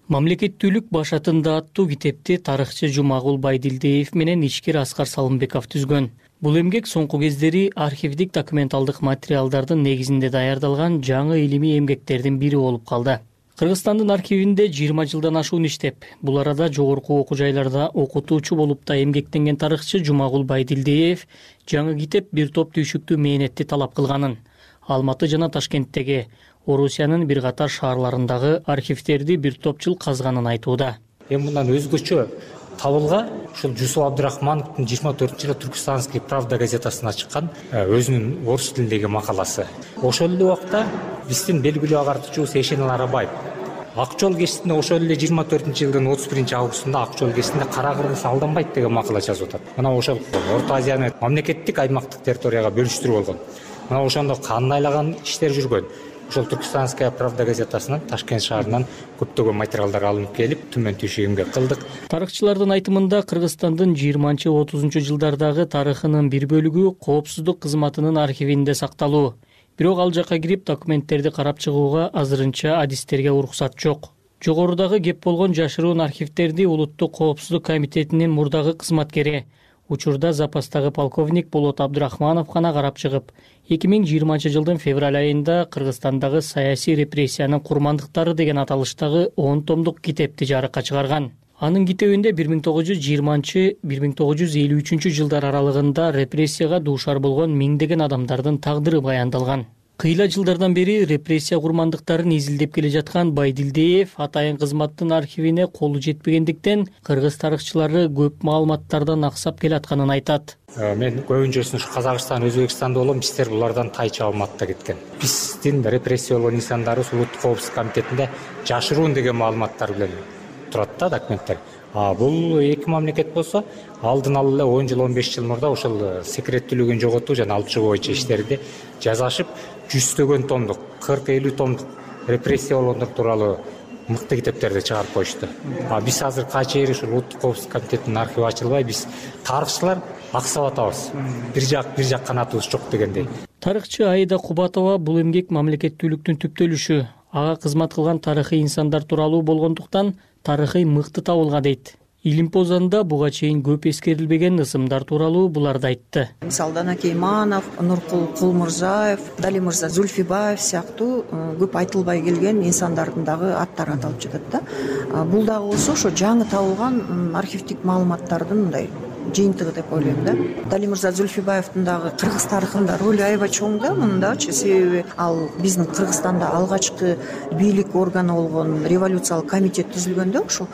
Мамлекеттүүлүк башатында аттуу китепти тарыхчы Жумагул Байдилдиев менен ичкер Аскар Салымбеков түзгөн. Бул эмгек соңку кездери архивдик документалдык материалдардын негизинде даярдалган жаңы илимий эмгектердин бири болуп калды. Кыргызстандын архивинде 20 жылдан ашуун иштеп, бул арада жогорку окуу жайларда окутуучу болуп да эмгектенген тарыхчы Жумагул Байдилдиев жаңы китеп бир топ түйшүктүү мээнетти талап кылганын, Алматы жана Ташкенттеги Орусиянын бир катар шаарларындагы архивдерди бир топ жыл казганын айтууда. Эми мындан өзгөчө табылга ушул Жусуп Абдрахмановдун 24-жылы Түркистанский правда газетасына чыккан өзүнүн орус тилиндеги макаласы. Ошол эле убакта биздин белгилүү агартуучубуз Эшенел Арабаев Ак жол кесинде ошол эле 24-жылдын 31-августунда Ак жол кесинде кара кыргыз алданбайт деген макала жазып атат. Мына ошол Орто Азияны мамлекеттик аймактык территорияга бөлүштүрүү болгон. Мына ошондо кандайлаган иштер жүргөн. Ошол Түркистанская правда газетасынан Ташкент шаарынан көптөгөн материалдар алынып келип, түмөн түйшү эмгек кылдык. Тарыхчылардын айтымында Кыргызстандын 20-30 жылдардагы тарыхынын бир бөлүгү коопсуздук кызматынын архивинде сакталуу. Бирок ал жакка кирип документтерди карап чыгууга азырынча адистерге уруксат жок. Жогорудагы кеп болгон жашыруун архивдерди Улуттук коопсуздук комитетинин мурдагы кызматкери, учурда запастагы полковник Болот Абдрахманов гана карап чыгып, 2020-жылдын февраль айында Кыргызстандагы саясий репрессиянын курмандыктары деген аталыштагы 10 томдук китепти жарыкка чыгарган. Анын китебинде 1920-1953 жылдар аралыгында репрессияга дуушар болгон миңдеген адамдардын тагдыры баяндалган. Кыйла жылдардан бери репрессия курмандыктарын изилдеп келе жаткан Байдилдиев атайын кызматтын архивине колу жетпегендиктен кыргыз тарыхчылары көп маалыматтардан аксап келатканын айтат. Мен көбүнчөсүн ушу Казакстан, Өзбекстанда болом, биздер булардан тайча маалыматта кеткен. Биздин репрессия болгон инсандарыбыз Улуттук коопсуздук комитетинде жашыруун деген маалыматтар менен турат да документтер. Бул эки мамлекет болсо, алдын ала эле 10 жыл, 15 жыл мурда ошол секреттүүлүгүн жоготуу жана алып чыгуу боюнча иштерди жазашып, 100 томдук, 40-50 томдук репрессия болгондор тууралуу мыкты китептерди чыгарып коюшту. Биз азыр кача ушул Улуттук коопсуздук комитетинин архиви ачылбай, биз тарыхчылар аксап атабыз. Бир жак канатыбыз жок дегендей. Тарыхчы Аида Кубатова бул эмгек мамлекеттүүлүктүн түптөлүшү, ага кызмат кылган тарыхый инсандар тууралуу болгондуктан тарыхый мыкты табылга дейт. Илимпозанда буга чейин көп эскерилбеген ысымдар тууралуу буларды айтты. Мисалы Дана Кейманов, Нуркул Кулмурзаев, Дали Мырза Зульфибаев сыяктуу көп айтылбай келген инсандардын дагы аттары аталып жатат да. Бул дагы болсо ошо жаңы табылган архивдик маалыматтардын мындай жыйынтыгы деп ойлойм да. Дали Мырза Зульфибаевдин дагы кыргыз тарыхында ролу аябай чоң да мындачы, себеби ал биздин Кыргызстанда алгачкы бийлик органы болгон революциялык комитет түзүлгөндө ошо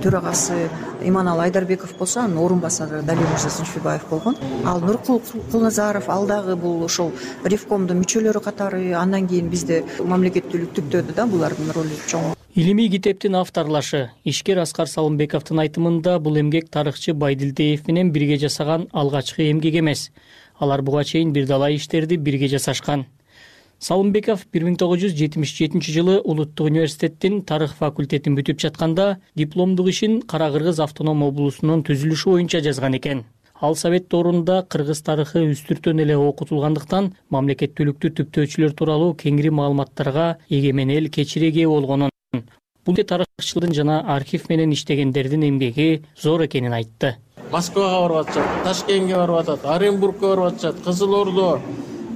төрагасы Иманалы Айдарбеков болсо, анын орун басары Дали Мырза Зульфибаев болгон. Ал Нуркул Кулназаров ал дагы бул ошол ревкомдун мүчөлөрү катары, андан кийин бизде мамлекеттүүлүк түптөдү да, булардын ролу чоң. Илимий китептин авторлашы ишкер Аскар Салымбековдун айтымында бул эмгек тарыхчы Байдилдиев менен бирге жасаган алгачкы эмгек эмес. Алар буга чейин бир далай иштерди бирге жасашкан. Салымбеков 1977-жылы Улуттук университеттин тарых факультетин бүтүп жатканда дипломдук ишин Кара Кыргыз автоном облусунун түзүлүшү боюнча жазган экен. Ал совет доорунда кыргыз тарыхы үстүртөн эле окутулгандыктан мамлекеттүүлүктү түптөөчүлөр тууралуу кеңири маалыматтарга эгемен эл кечире ээ болгонун, бул тарыхчылардын жана архив менен иштегендердин эмгеги зор экенин айтты. Москвага барып атышат, Ташкентке барып атат, Оренбургка барып атышат, Кызыл Ордо,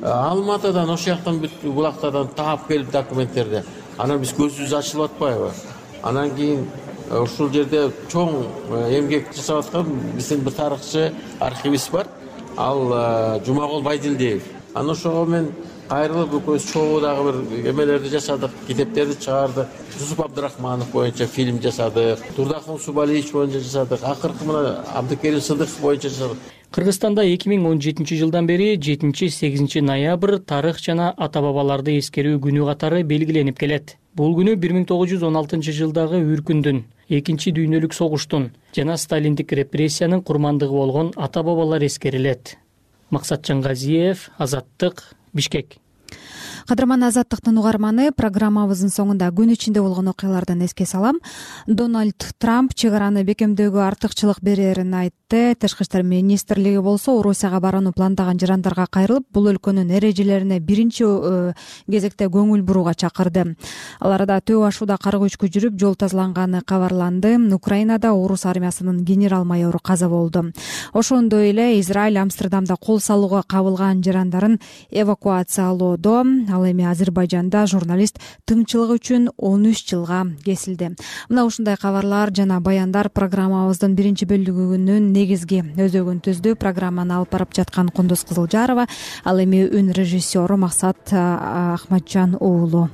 Алматыдан, ошол жактан бүт булактардан таап келип документтерди. Анан биз көзүбүз ачылып атпайбы? Анан кийин ушул жерде чоң эмгек жасап аткан биздин бир тарыхчы архивист бар. Ал Жумагул Байдилдиев. Анан ошого мен кайрылып экөөбүз чогуу дагы бир эмелерди жасадык, китептерди чыгардык. Жусуп Абдрахманов боюнча фильм жасадык, Турдахун Субалиевич боюнча жасадык, акыркы мына Абдыкерим Сыдыков боюнча жасадык. Кыргызстанда 2017-жылдан бери 7-8 ноябрь тарых жана ата-бабаларды эскерүү күнү катары белгиленип келет. Бул күнү 1916-жылдагы үркүндүн, экинчи дүйнөлүк согуштун жана сталиндик репрессиянын курмандыгы болгон ата-бабалар эскерилет. Максатжан Газиев, Азаттык, Бишкек. Кадырман Азаттыктын угарманы, программабыздын соңунда күн ичинде болгон окуялардан эске салам. Дональд Трамп чек араны бекемдөөгө артыкчылык берерин айтты. Тышкы иштер министрлиги болсо Орусияга барууну пландаган жарандарга кайрылып, бул өлкөнүн эрежелерине биринчи кезекте көңүл бурууга чакырды. Ал арада төө ашууда кара көчкү жүрүп, жол тазаланганы кабарланды. Украинада орус армиясынын генерал-майору каза болду. Ошондой эле Израиль Амстердамда кол салууга кабылган жарандарын эвакуациялоодо. Ал эми Азербайжанда журналист тыңчылыгы үчүн 13 жылга кесилди. Мына ушундай кабарлар жана баяндар программабыздын биринчи бөлүгүнүн негизги өзөгүн түздү. Программаны алып барып жаткан Кундуз Кызылжарова, ал эми үн режиссеру Максат Ахматжан уулу.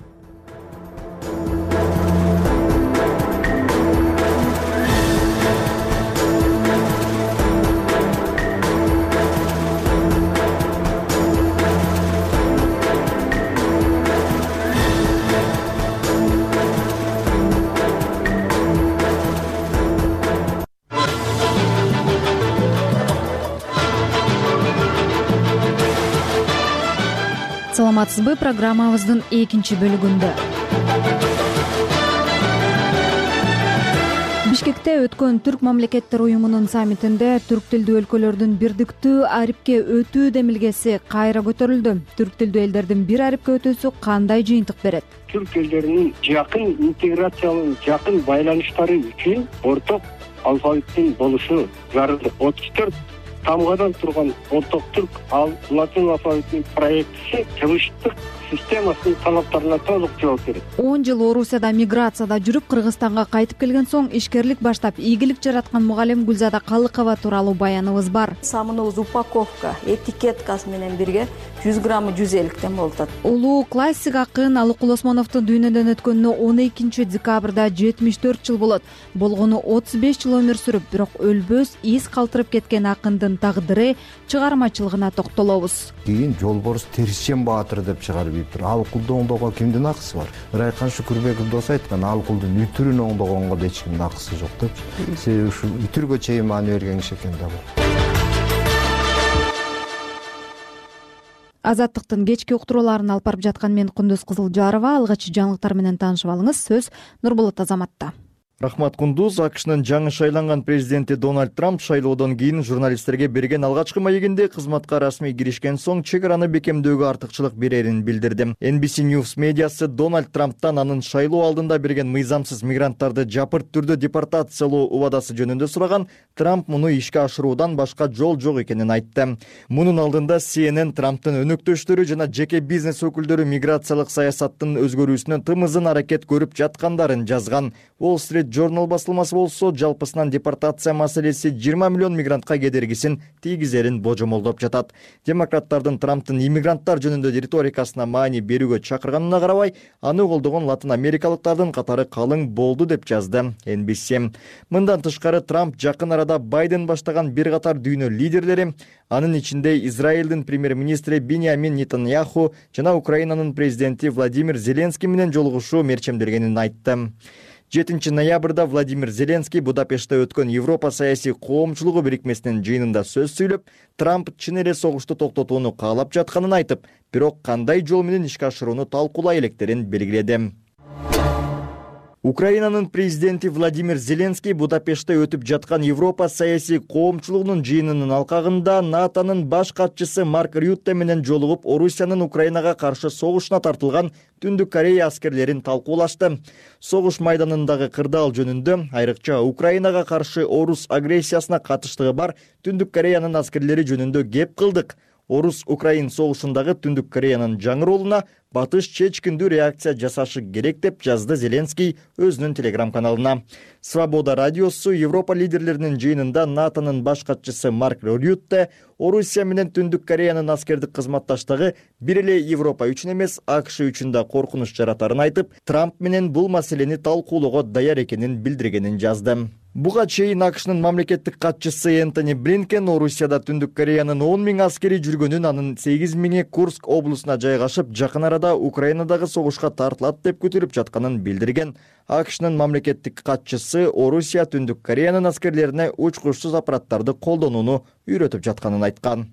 саламатсызбы, программабыздын экинчи бөлүгүндө Бишкекте өткөн Түрк мамлекеттер уюмунун саммитинде түрк тилдүү өлкөлөрдүн бирдиктүү арипке өтүү демилгеси кайра көтөрүлдү. Түрк тилдүү элдердин бир арипке өтүүсү кандай жыйынтык берет? Түрк элдеринин жакын интеграциялуу, жакын байланыштары үчүн орток алфавиттин болушу зарыл. 34 тамгадан турган орток түрк латин алфавитинин проектиси жыгыштык системасынын талаптарына толук жооп берет. 10 жыл Орусияда миграцияда жүрүп, Кыргызстанга кайтып келген соң ишкерлик баштап, ийгилик жараткан мугалим Гүлзада Калыкова тууралуу баяныбыз бар. Самыныбыз упаковка, этикеткасы менен бирге 100 граммы 150 болуп атат. Улуу классик акын Алыкул Осмоновдун дүйнөдөн өткөнүнө 12 декабрда 74 жыл болот. Болгону 35 жыл өмүр сүрүп, бирок өлбөс из калтырып кеткен акындын тагдыры, чыгармачылыгына токтолобуз. Кийин Жолборс Терисчен Баатыр деп чыгарып ийиптир. Алыкулду оңдоого кимдин акысы бар? Ырайкан Шүкүрбеков дос айткан, Алыкулдун үтүрүн оңдогонго да эч кимдин акысы жок деп. Себеби ушул үтүргө чейин маани берген киши экен да бул. Азаттыктын кечки уктурууларын алып барып жаткан мен Кундуз Кызылжарова. Алгачкы жаңылыктар менен таанышып алыңыз. Сөз Нурболот Азаматта. Рахмат Кундуз. АКШнын жаңы шайланган президенти Дональд Трамп шайлоодон кийин журналисттерге берген алгачкы маегинде кызматка расмий киришкен соң чек араны бекемдөөгө артыкчылык берерин билдирди. NBC News медиасы Дональд Трамптан анын шайлоо алдында берген мыйзамсыз мигранттарды жапырт түрдө депортациялоо убадасы жөнүндө сураган. Трамп муну ишке ашыруудан башка жол жок экенин айтты. Мунун алдында CNN Трамптын өнөктөштөрү жана жеке бизнес өкүлдөрү миграциялык саясаттын өзгөрүүсүнө тымызын аракет көрүп жаткандарын жазган. Wall Street Journal басылмасы болсо, жалпысынан депортация маселеси 20 миллион мигрантка кедергисин тийгизерин божомолдоп жатат. Демократтардын Трамптын иммигранттар жөнүндө риторикасына маани берүүгө чакырганына карабай, аны колдогон латын америкалыктардын катары калың болду деп жазды NBC. Мындан тышкары Трамп жакын арада Байден баштаган бир катар дүйнө лидерлери, анын ичинде Израилдин премьер-министри Биньямин Нетаньяху жана Украинанын президенти Владимир Зеленский менен жолугушуу мерчемдергенин айтты. 7 ноябрда Владимир Зеленский Будапештте өткөн Европа саясий коомчулугу бирикмесинин жыйынында сөз сүйлөп, Трамп чын эле согушту токтотууну каалап жатканын айтып, бирок кандай жол менен ишке ашырууну талкуулай электерин белгиледи. Украинанын президенти Владимир Зеленский Будапештте өтүп жаткан Европа саясий коомчулугунун жыйынынын алкагында НАТОнун баш катчысы Марк Рютте менен жолугуп, Орусиянын Украинага каршы согушуна тартылган Түндүк Корея аскерлерин талкуулашты. Согуш майданындагы кырдаал жөнүндө, айрыкча Украинага каршы орус агрессиясына катыштыгы бар Түндүк Кореянын аскерлери жөнүндө кеп кылдык. Орус-Украин согушундагы Түндүк Кореянын жаңы ролуна батыш чечкиндүү реакция жасашы керек деп жазды Зеленский өзүнүн телеграм-каналына. Свобода радиосу Европа лидерлеринин жыйынында НАТОнун баш катчысы Марк Рютте Орусия менен Түндүк Кореянын аскердик кызматташтыгы бир эле Европа үчүн эмес, АКШ үчүн да коркунуч жаратарын айтып, Трамп менен бул маселени талкуулоого даяр экенин билдиргенин жазды. Буга чейин АКШнын мамлекеттик катчысы Энтони Блинкен Орусияда Түндүк Кореянын 10 000 аскери жүргөнүн, анын 8 000 Курск облусуна жайгашып, жакын арада Украинадагы согушка тартылат деп күтүлүп жатканын билдирген. АКШнын мамлекеттик катчысы Орусия Түндүк Кореянын аскерлерине учкучсуз аппараттарды колдонууну үйрөтүп жатканын айткан.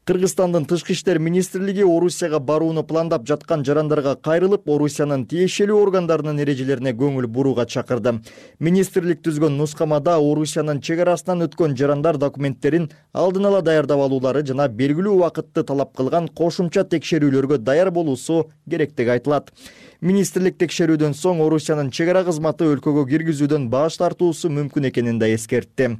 Кыргызстандын тышкы иштер министрлиги Орусияга барууну пландап жаткан жарандарга кайрылып, Орусиянын тиешелүү органдарынын эрежелерине көңүл бурууга чакырды. Министрлик түзгөн нускамада Орусиянын чек арасынан өткөн жарандар документтерин алдын ала даярдап алуулары жана белгилүү убакытты талап кылган кошумча текшерүүлөргө даяр болуусу керектиги айтылат. Министрлик текшерүүдөн соң Орусиянын чек ара кызматы өлкөгө киргизүүдөн баш тартуусу мүмкүн экенин да эскертти.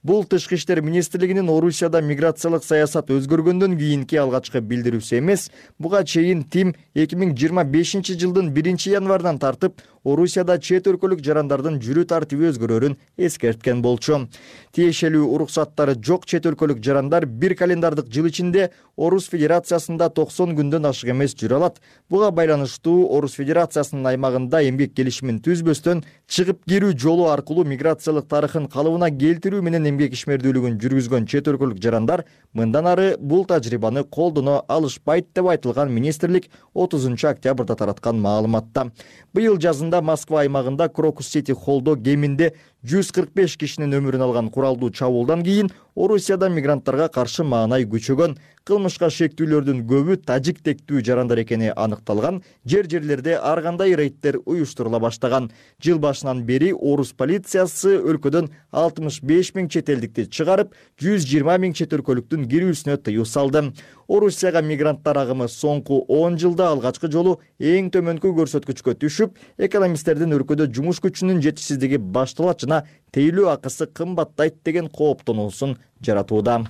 Бул тышкы иштер министрлигинин Орусияда миграциялык саясат өзгөргөндөн кийинки алгачкы билдирүүсү эмес. Буга чейин ТИМ 2025 жылдын 1 январынан тартып Орусияда чет өлкөлүк жарандардын жүрүү тартиби өзгөрөрүн эскерткен болчу. Тиешелүү уруксаттары жок чет өлкөлүк жарандар бир календардык жыл ичинде Орус Федерациясында 90 күндөн ашык эмес жүрө алат. Буга байланыштуу Орус Федерациясынын аймагында эмгек келишимин түзбөстөн чыгып кирүү жолу аркылуу миграциялык тарыхын калыбына келтирүү менен эмгек ишмердүүлүгүн жүргүзгөн чет өлкөлүк жарандар мындан ары бул тажрыйбаны колдоно алышпайт деп айтылган министрлик 30 октябрда тараткан маалыматта. Быйыл жазында Москва аймагында Крокус Сити Холлдо кеминде 145 кишинин өмүрүн алган куралдуу чабуулдан кийин Орусияда мигранттарга каршы маанай күчөгөн. Кылмышка шектүүлөрдүн көбү тажик тектүү жарандар экени аныкталган. Жерлерде ар кандай рейдтер уюштурула баштаган. Жыл башынан бери орус полициясы өлкөдөн 65 000 чет элдикти чыгарып, 120 000 чет өлкөлүктүн кирүүсүнө тыюу салды. Орусияга мигранттар агымы соңку 10 жылда алгачкы жолу эң төмөнкү көрсөткүчкө түшүп, экономисттердин өлкөдө жумуш күчүнүн жетишсиздиги башталат жана тейлөө акысы кымбаттайт деген кооптонуусун жаратууда.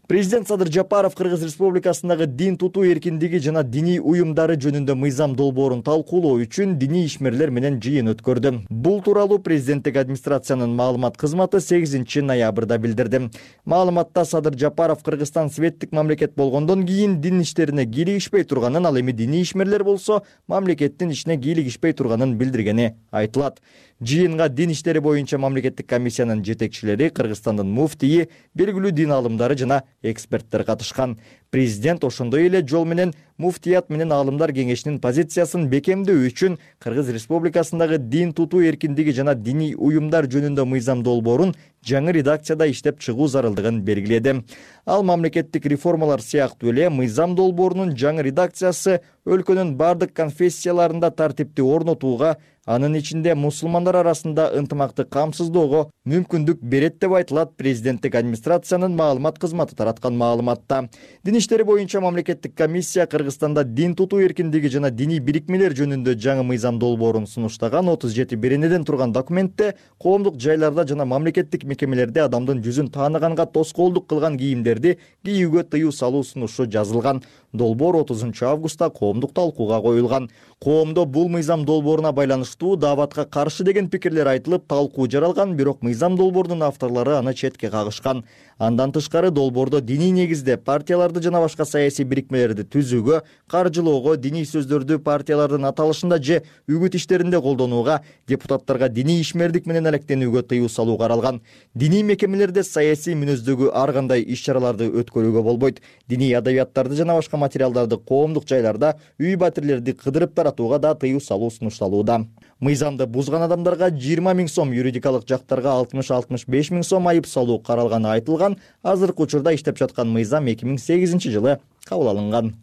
Президент Садыр Жапаров Кыргыз Республикасындагы дин тутуу эркиндиги жана диний уюмдары жөнүндө мыйзам долбоорун талкуулоо үчүн диний ишмерлер менен жыйын өткөрдү. Бул тууралуу президенттик администрациянын маалымат кызматы 8 ноябрда билдирди. Маалыматта Садыр Жапаров Кыргызстан светтик мамлекет болгондон кийин дин иштерине кийлигишпей турганын, ал эми диний ишмерлер болсо мамлекеттин ишине кийлигишпей турганын билдиргени айтылат. Жыйынга дин иштери боюнча мамлекеттик комиссиянын жетекчилери, Кыргызстандын муфтийи, белгилүү дин аалымдары жана эксперттер катышкан. Президент ошондой эле жол менен муфтият менен аалымдар кеңешинин позициясын бекемдөө үчүн Кыргыз Республикасындагы дин тутуу эркиндиги жана диний уюмдар жөнүндө мыйзам долбоорун жаңы редакцияда иштеп чыгуу зарылдыгын белгиледи. Ал мамлекеттик реформалар сыяктуу эле мыйзам долбоорунун жаңы редакциясы өлкөнүн бардык конфессияларында тартипти орнотууга, анын ичинде мусулмандар арасында ынтымакты камсыздоого мүмкүндүк берет деп айтылат президенттик администрациянын маалымат кызматы тараткан маалыматта. Дин иштери боюнча мамлекеттик комиссия Кыргызстанда дин тутуу эркиндиги жана диний бирикмелер жөнүндө жаңы мыйзам долбоорун сунуштаган 37 беренеден турган документте коомдук жайларда жана мамлекеттик мекемелерде адамдын жүзүн тааныганга тоскоолдук кылган кийимдерди кийүүгө тыюу салуу сунушу жазылган. Долбоор 30 августта коомдук талкууга коюлган. Коомдо бул мыйзам долбооруна байланыштуу дааватка каршы деген пикирлер айтылып, талкуу жаралган, бирок мыйзам долбоорунун авторлору аны четке кагышкан. Андан тышкары долбоордо диний негизде партияларды жана башка саясий бирикмелерди түзүүгө, каржылоого, диний сөздөрдү партиялардын аталышында же үгүт иштеринде колдонууга, депутаттарга диний ишмердик менен алектенүүгө тыюу салуу каралган. Диний мекемелерде саясий мүнөздөгү ар кандай иш-чараларды өткөрүүгө болбойт. Диний адабияттарды жана башка материалдарды коомдук жайларда үй батирлерди кыдырып таратууга да тыюу салуу сунушталууда. Мыйзамды бузган адамдарга 20 000 сом, юридикалык жактарга 60-65 000 сом айып салуу каралганы айтылган. Азыркы учурда иштеп жаткан мыйзам 2008 жылы кабыл алынган.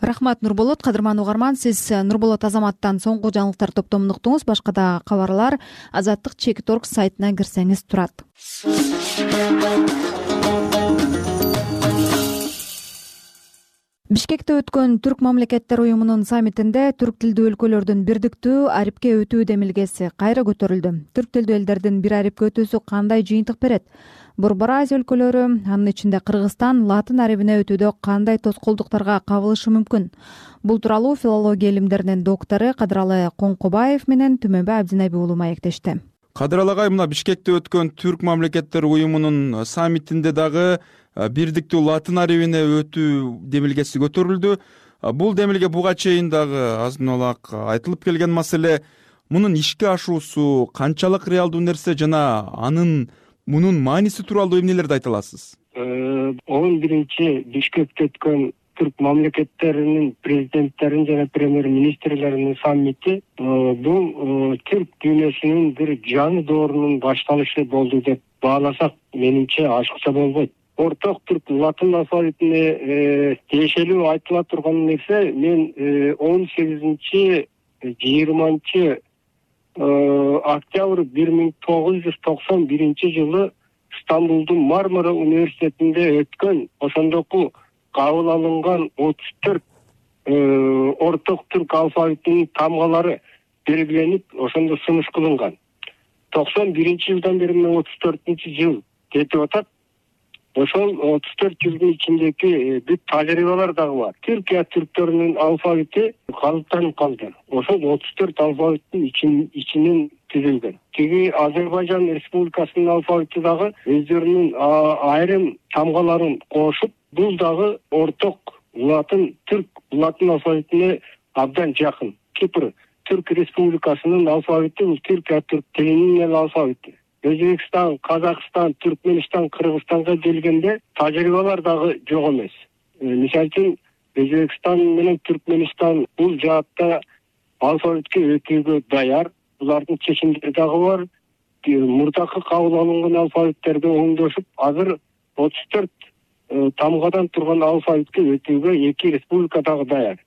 Рахмат, Нурболот. Кадырман угарман, сиз Нурболот Азаматтан соңку жаңылыктар топтомун уктуңуз. Башка да кабарлар Азаттык.org сайтына кирсеңиз турат. Бишкекте өткөн Түрк мамлекеттер уюмунун саммитинде түрк тилдүү өлкөлөрдүн бирдиктүү арипке өтүү демилгеси кайра көтөрүлдү. Түрк тилдүү элдердин бир арипке өтүүсү кандай жыйынтык берет? Борбор Азия өлкөлөрү, анын ичинде Кыргызстан, латын арибине өтүүдө кандай тоскоолдуктарга кабылышы мүмкүн? Бул тууралуу филология илимдеринин доктору Кадыралы Коңкобаев менен Түмөнбай Абдинайби уулу маектешти. Кадыралы агай, мына Бишкекте өткөн Түрк мамлекеттер уюмунун саммитинде дагы бирдиктүү латын арибине өтүү демилгеси көтөрүлдү. Бул демилге буга чейин дагы азын улак айтылып келген маселе. Мунун ишке ашуусу канчалык реалдуу нерсе жана мунун мааниси тууралуу эмнелерди айта аласыз? 11 Бишкекте өткөн Түрк мамлекеттеринин президенттерин жана премьер-министрлеринин саммити бул түрк дүйнөсүнүн бир жаңы доорунун башталышы болду деп бааласак, менимче ашыкча болбойт. Орток түрк латын алфавитине тиешелүү айтыла турган нерсе мен 18-20 октябрь 1991 жылы Стамбулдун Мармара университетинде өткөн ошондоку кабыл алынган 34 орток түрк алфавитинин тамгалары белгиленип, ошондо сунуш кылынган. 91 жылдан бери 34 жыл кетип атат. Ошол 34 жылдын ичиндеги бүт тажрыйбалар дагы бар. Түркия түрктөрүнүн алфавити калыптанып калды. Ошол 34 алфавиттин ичинен түзүлгөн. Тиги Азербайжан Республикасынын алфавити дагы өздөрүнүн айрым тамгаларын кошуп, бул дагы орток түрк латын алфавитине абдан жакын. Кипр Түрк Республикасынын алфавити бул Түркия түрк тилинин алфавити. Өзбекстан, Казакстан, Түркменистан, Кыргызстанга келгенде тажрыйбалар дагы жок эмес. Мисалы үчүн Өзбекстан менен Түркменистан бул жаатта алфавитке өтүүгө даяр. булардын чечимдери дагы бар. Мурдакы кабыл алынган алфавиттерди оңдошуп, азыр 34 тамгадан турган алфавитке өтүүгө 2 республика дагы даяр.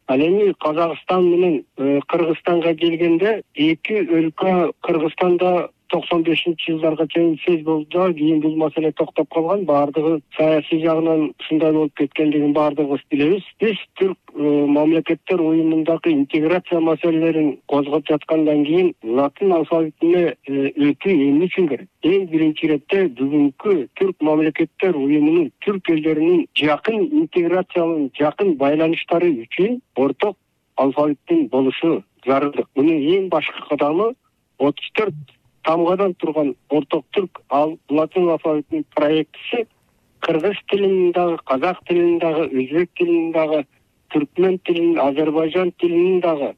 Ал эми Казакстан менен Кыргызстанга келгенде эки өлкө Кыргызстанда 95-жылдарга чейин сөз болду да, кийин бул маселе токтоп калган. Баардыгы саясий жагынан ушундай болуп кеткендигин баардыгыбыз билебиз. Биз Түрк мамлекеттер уюмундагы интеграция маселелерин козгоп жаткандан кийин латын алфавитине өтүү эмне үчүн керек? Эң биринчи иретте бүгүнкү Түрк мамлекеттер уюмунун түрк элдеринин жакын интеграцияланып, жакын байланыштары үчүн орток алфавиттин болушу зарылдык. Мунун эң башкы кадамы 34 тамгадан турган орток түрк латын алфавитинин проектиси кыргыз тилинин дагы, казак тилинин дагы, өзбек тилинин дагы, түркмен тилинин, азербайжан тилинин дагы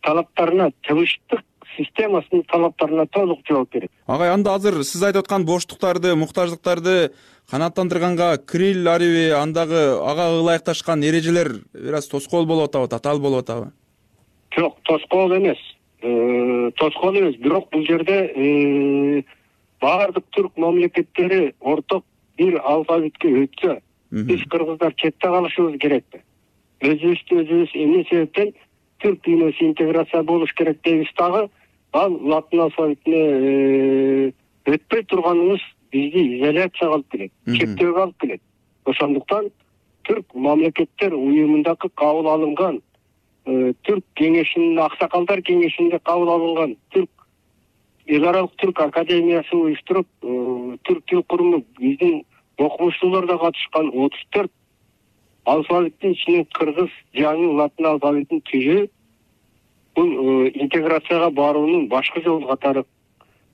талаптарына, тыбыштык системасынын талаптарына толук жооп берет. Агай, анда азыр сиз айтып аткан боштуктарды, муктаждыктарды канааттандырганга Кирилл ариби, андагы ага ылайыкташкан эрежелер бир аз тоскоол болуп атабы, татаал болуп атабы? Жок, тоскоол эмес. Бирок бул жерде баардык түрк мамлекеттери орток бир алфавитке өтсө, биз кыргыздар четте калышыбыз керекпи? Өзүбүз эмне себептен түрк дүйнөсү интеграция болуш керек дейбиз дагы, ал латын алфавитине өтпөй турганыбыз бизди изоляцияга алып келет, чектөөгө алып келет. Ошондуктан түрк мамлекеттер уюмундагы кабыл алынган Түрк кеңешинин, аксакалдар кеңешинде кабыл алынган эл аралык түрк академиясы уюштуруп, түрк тил куруму биздин окумуштуулар да катышкан 34 алфавиттин ичинен кыргыз жаңы латын алфавитин түзүү бул интеграцияга баруунун башкы жолу катары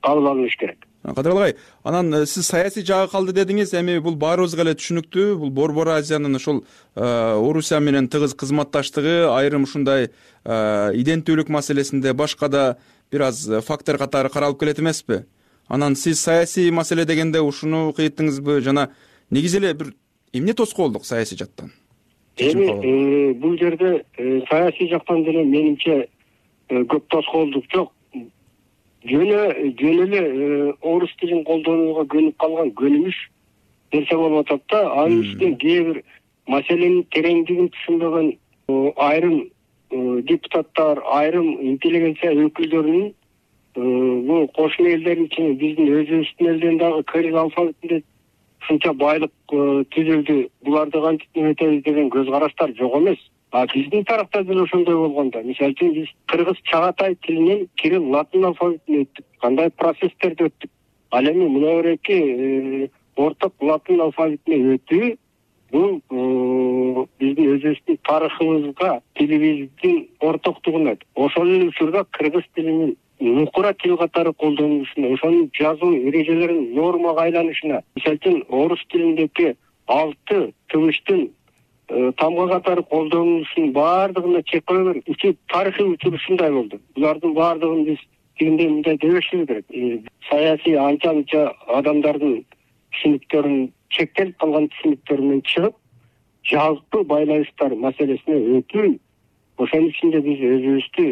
кабыл алыныш керек. Кадыралы агай, анан сиз саясий жагы калды дедиңиз, эми бул баарыбызга эле түшүнүктүү. Бул Борбор Азиянын ошол Орусия менен тыгыз кызматташтыгы, айрым ушундай иденттүүлүк маселесинде башка да бир аз фактор катары каралып келет эмеспи? Анан сиз саясий маселе дегенде ушуну кыйттыңызбы жана негизи эле бир эмне тоскоолдук саясий жактан? Эми бул жерде саясий жактан деле менимче көп тоскоолдук жок. Жөн эле орус тилин колдонууга көнүп калган көнүмүш нерсе болуп атат да. Анын үстүнө кээ бир маселенин тереңдигин түшүнбөгөн айрым депутаттар, айрым интеллигенция өкүлдөрүнүн бул кошмо элдердин ичинде биздин өзүбүздүн элден дагы кирилл алфавитинде ушунча байлык түзүлдү, буларды кантип эметебиз деген көз караштар жок эмес. Биздин тарапта деле ошондой болгондо, мисалы үчүн биз кыргыз чагатай тилинен кирилл латын алфавитине өттүк, кандай процесстерди өттүк. Ал эми мына береки орток латын алфавитине өтүү бул биздин өзүбүздүн тарыхыбызга, тилибиздин ортоктугуна, ошол эле учурда кыргыз тилинин нукура тил катары колдонулушуна, ошонун жазуу эрежелеринин нормага айланышына, мисалы үчүн орус тилиндеги 6 тыбыштын тамга катары колдонулушунун баардыгына чек кое берип, тарыхый учур ушундай болду. Булардын баардыгын биз тигиндей мындай дебешибиз керек. Саясий анча-мынча адамдардын түшүнүктөрүн, чектелип калган түшүнүктөрүнөн чыгып, жалпы байланыштар маселесине өтүү, ошонун ичинде биз өзүбүздү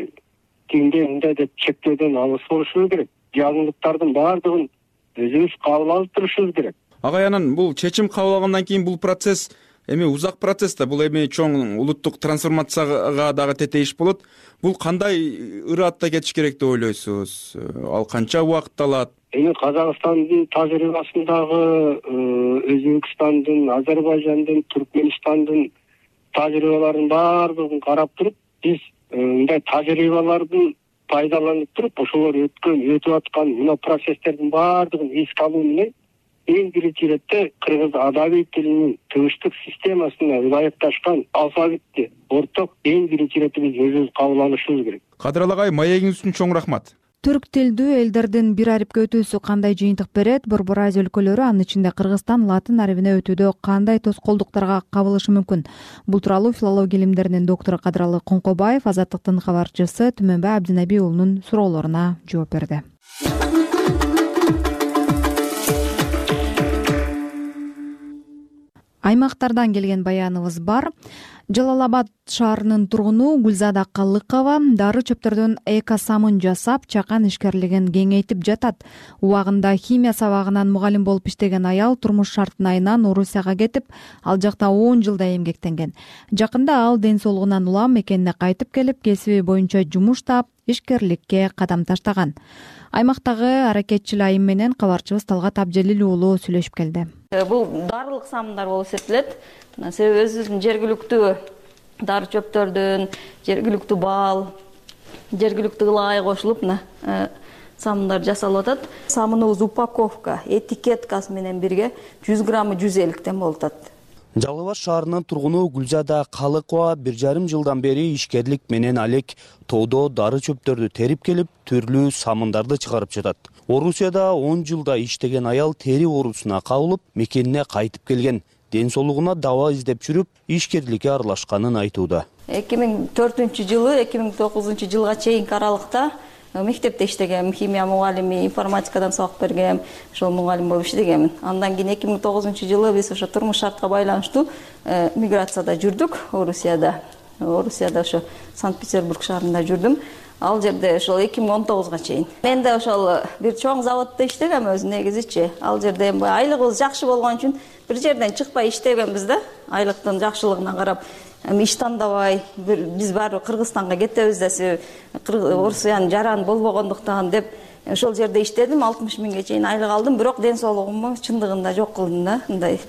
тигиндей мындай деп чектөөдөн алыс болушубуз керек. Жаңылыктардын баардыгын өзүбүз кабыл алып турушубуз керек. Агай, анан бул чечим кабыл алгандан кийин бул процесс эми узак процесс да, бул эми чоң улуттук трансформацияга дагы тетейиш болот. Бул кандай ыраатта кетиш керек деп ойлойсуз? Ал канча убакыт алат? Эми Казакстандын тажрыйбасындагы, Өзбекстандын, Азербайжандын, Түркмөнстандын тажрыйбаларын баардыгын карап туруп, биз мындай тажрыйбалардын пайдаланып туруп, ошолор өтүп аткан мына процесстердин баардыгын эске алуу менен эң биринчи иретте кыргыз адабий тилинин тыбыштык системасына ылайыкташкан алфавитти орток эң биринчи иретте биз өзүбүз кабыл алышыбыз керек. Кадыралы агай, маегиңиз үчүн чоң рахмат. Түрк тилдүү элдердин бир арипке өтүүсү кандай жыйынтык берет? Борбор Азия өлкөлөрү, анын ичинде Кыргызстан латын арибине өтүүдө кандай тоскоолдуктарга кабылышы мүмкүн? Бул тууралуу филология илимдеринин доктору Кадыралы Коңкобаев Азаттыктын кабарчысы Түмөнбай Абдинаби уулунун суроолоруна жооп берди. Аймактардан келген баяныбыз бар. Жалал Абад шаарынын тургуну Гүлзада Калыкова дары чөптөрдөн экосамын жасап, чакан ишкерлигин кеңейтип жатат. Убагында химия сабагынан мугалим болуп иштеген аял турмуш шартынайынан Орусияга кетип, ал жакта 10 жылдай эмгектенген. Жакында ал ден соолугунан улам мекенине кайтып келип, кесиби боюнча жумуш таап, ишкерликке кадам таштаган. Аймактагы аракетчил айым менен кабарчыбыз Талгат Абжелил уулу сүйлөшүп келди. Бул дарылык самындар болуп эсептелет. Себеби өзүбүздүн жергиликтүү дары чөптөрдөн, жергиликтүү бал, жергиликтүү ылай кошулуп самындар жасалып атат. Самыныбыз упаковка, этикеткасы менен бирге 100 граммы 150 болуп атат. Жалал Абад шаарынын тургуну Гүлзада Калыкова 1,5 жылдан бери ишкерлик менен алек тоодо дары чөптөрдү терип келип, түрлүү самындарды чыгарып жатат. Орусияда 10 жылда иштеген аял тери оорусуна кабылып, мекенине кайтып келген. Ден соолугуна даба издеп жүрүп, ишкерликке аралашканын айтууда. 2004-жылы 2009 жылга чейинки аралыкта мектепте иштегем, химия мугалими, информатикадан сабак бергем, ошол мугалим болуп иштегемин. Андан кийин 2009 жылы биз ошо турмуш шартка байланыштуу миграцияда жүрдүк Орусияда. Орусияда ошо Санкт-Петербург шаарында жүрдүм. Ал жерде ошол 2019 чейин. Мен да ошол бир чоң заводдо иштегем өзү негизичи. Ал жерде айлыгыбыз жакшы болгон үчүн бир жерден чыкпай иштегенбиз да. Айлыктын жакшылыгына карап, иш тандабай, биз баары Кыргызстанга кетебиз десе, Орусиянын жараны болбогондуктан деп ошол жерде иштедим, 60 миңге чейин айлык алдым, бирок ден соолугумду чындыгында жок кылдым да. Мындай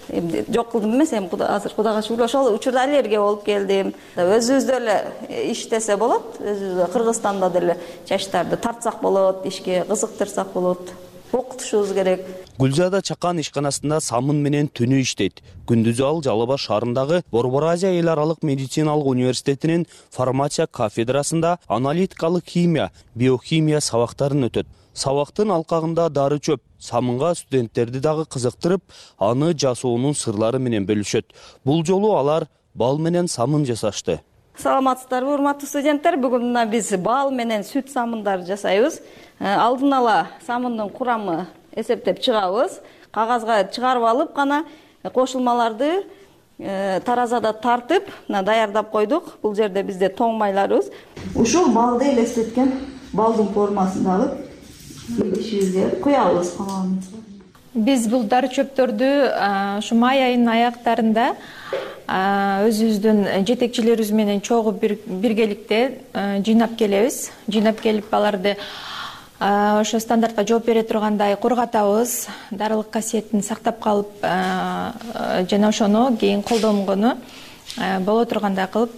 жок кылдым эмес, азыр Кудайга шүгүр ошол учурда аллергия болуп келдим. Өзүбүздө эле иштесе болот, өзүбүздө Кыргызстанда деле жаштарды тартсак болот, ишке кызыктырсак болот. Окутушубуз керек. Гүлзада чакан ишканасында самын менен түнү иштейт. Күндүзү ал Жалал Абад шаарындагы Борбор Азия эл аралык медициналык университетинин фармация кафедрасында аналитикалык химия, биохимия сабактарын өтөт. Сабактын алкагында дары чөп, самынга студенттерди дагы кызыктырып, аны жасоонун сырлары менен бөлүшөт. Бул жолу алар бал менен самын жасашты. Саламатсыздарбы, урматтуу студенттер? Бүгүн мына биз бал менен сүт самындарды жасайбыз. Алдын ала самындын курамы эсептеп чыгабыз. Кагазга чыгарып алып гана кошулмаларды таразада тартып, даярдап койдук. Бул жерде бизде тоң майларыбыз. Ушул балды элестеткен балдын формасындагы идишибизге куябыз. Биз бул дары чөптөрдү ушу май айынын аяктарында өзүбүздүн жетекчилерибиз менен чогуу биргеликте жыйнап келебиз. Жыйнап келип аларды ошо стандартка жооп бере тургандай кургатабыз, дарылык касиетин сактап калып, жана ошону кийин колдонгону боло тургандай кылып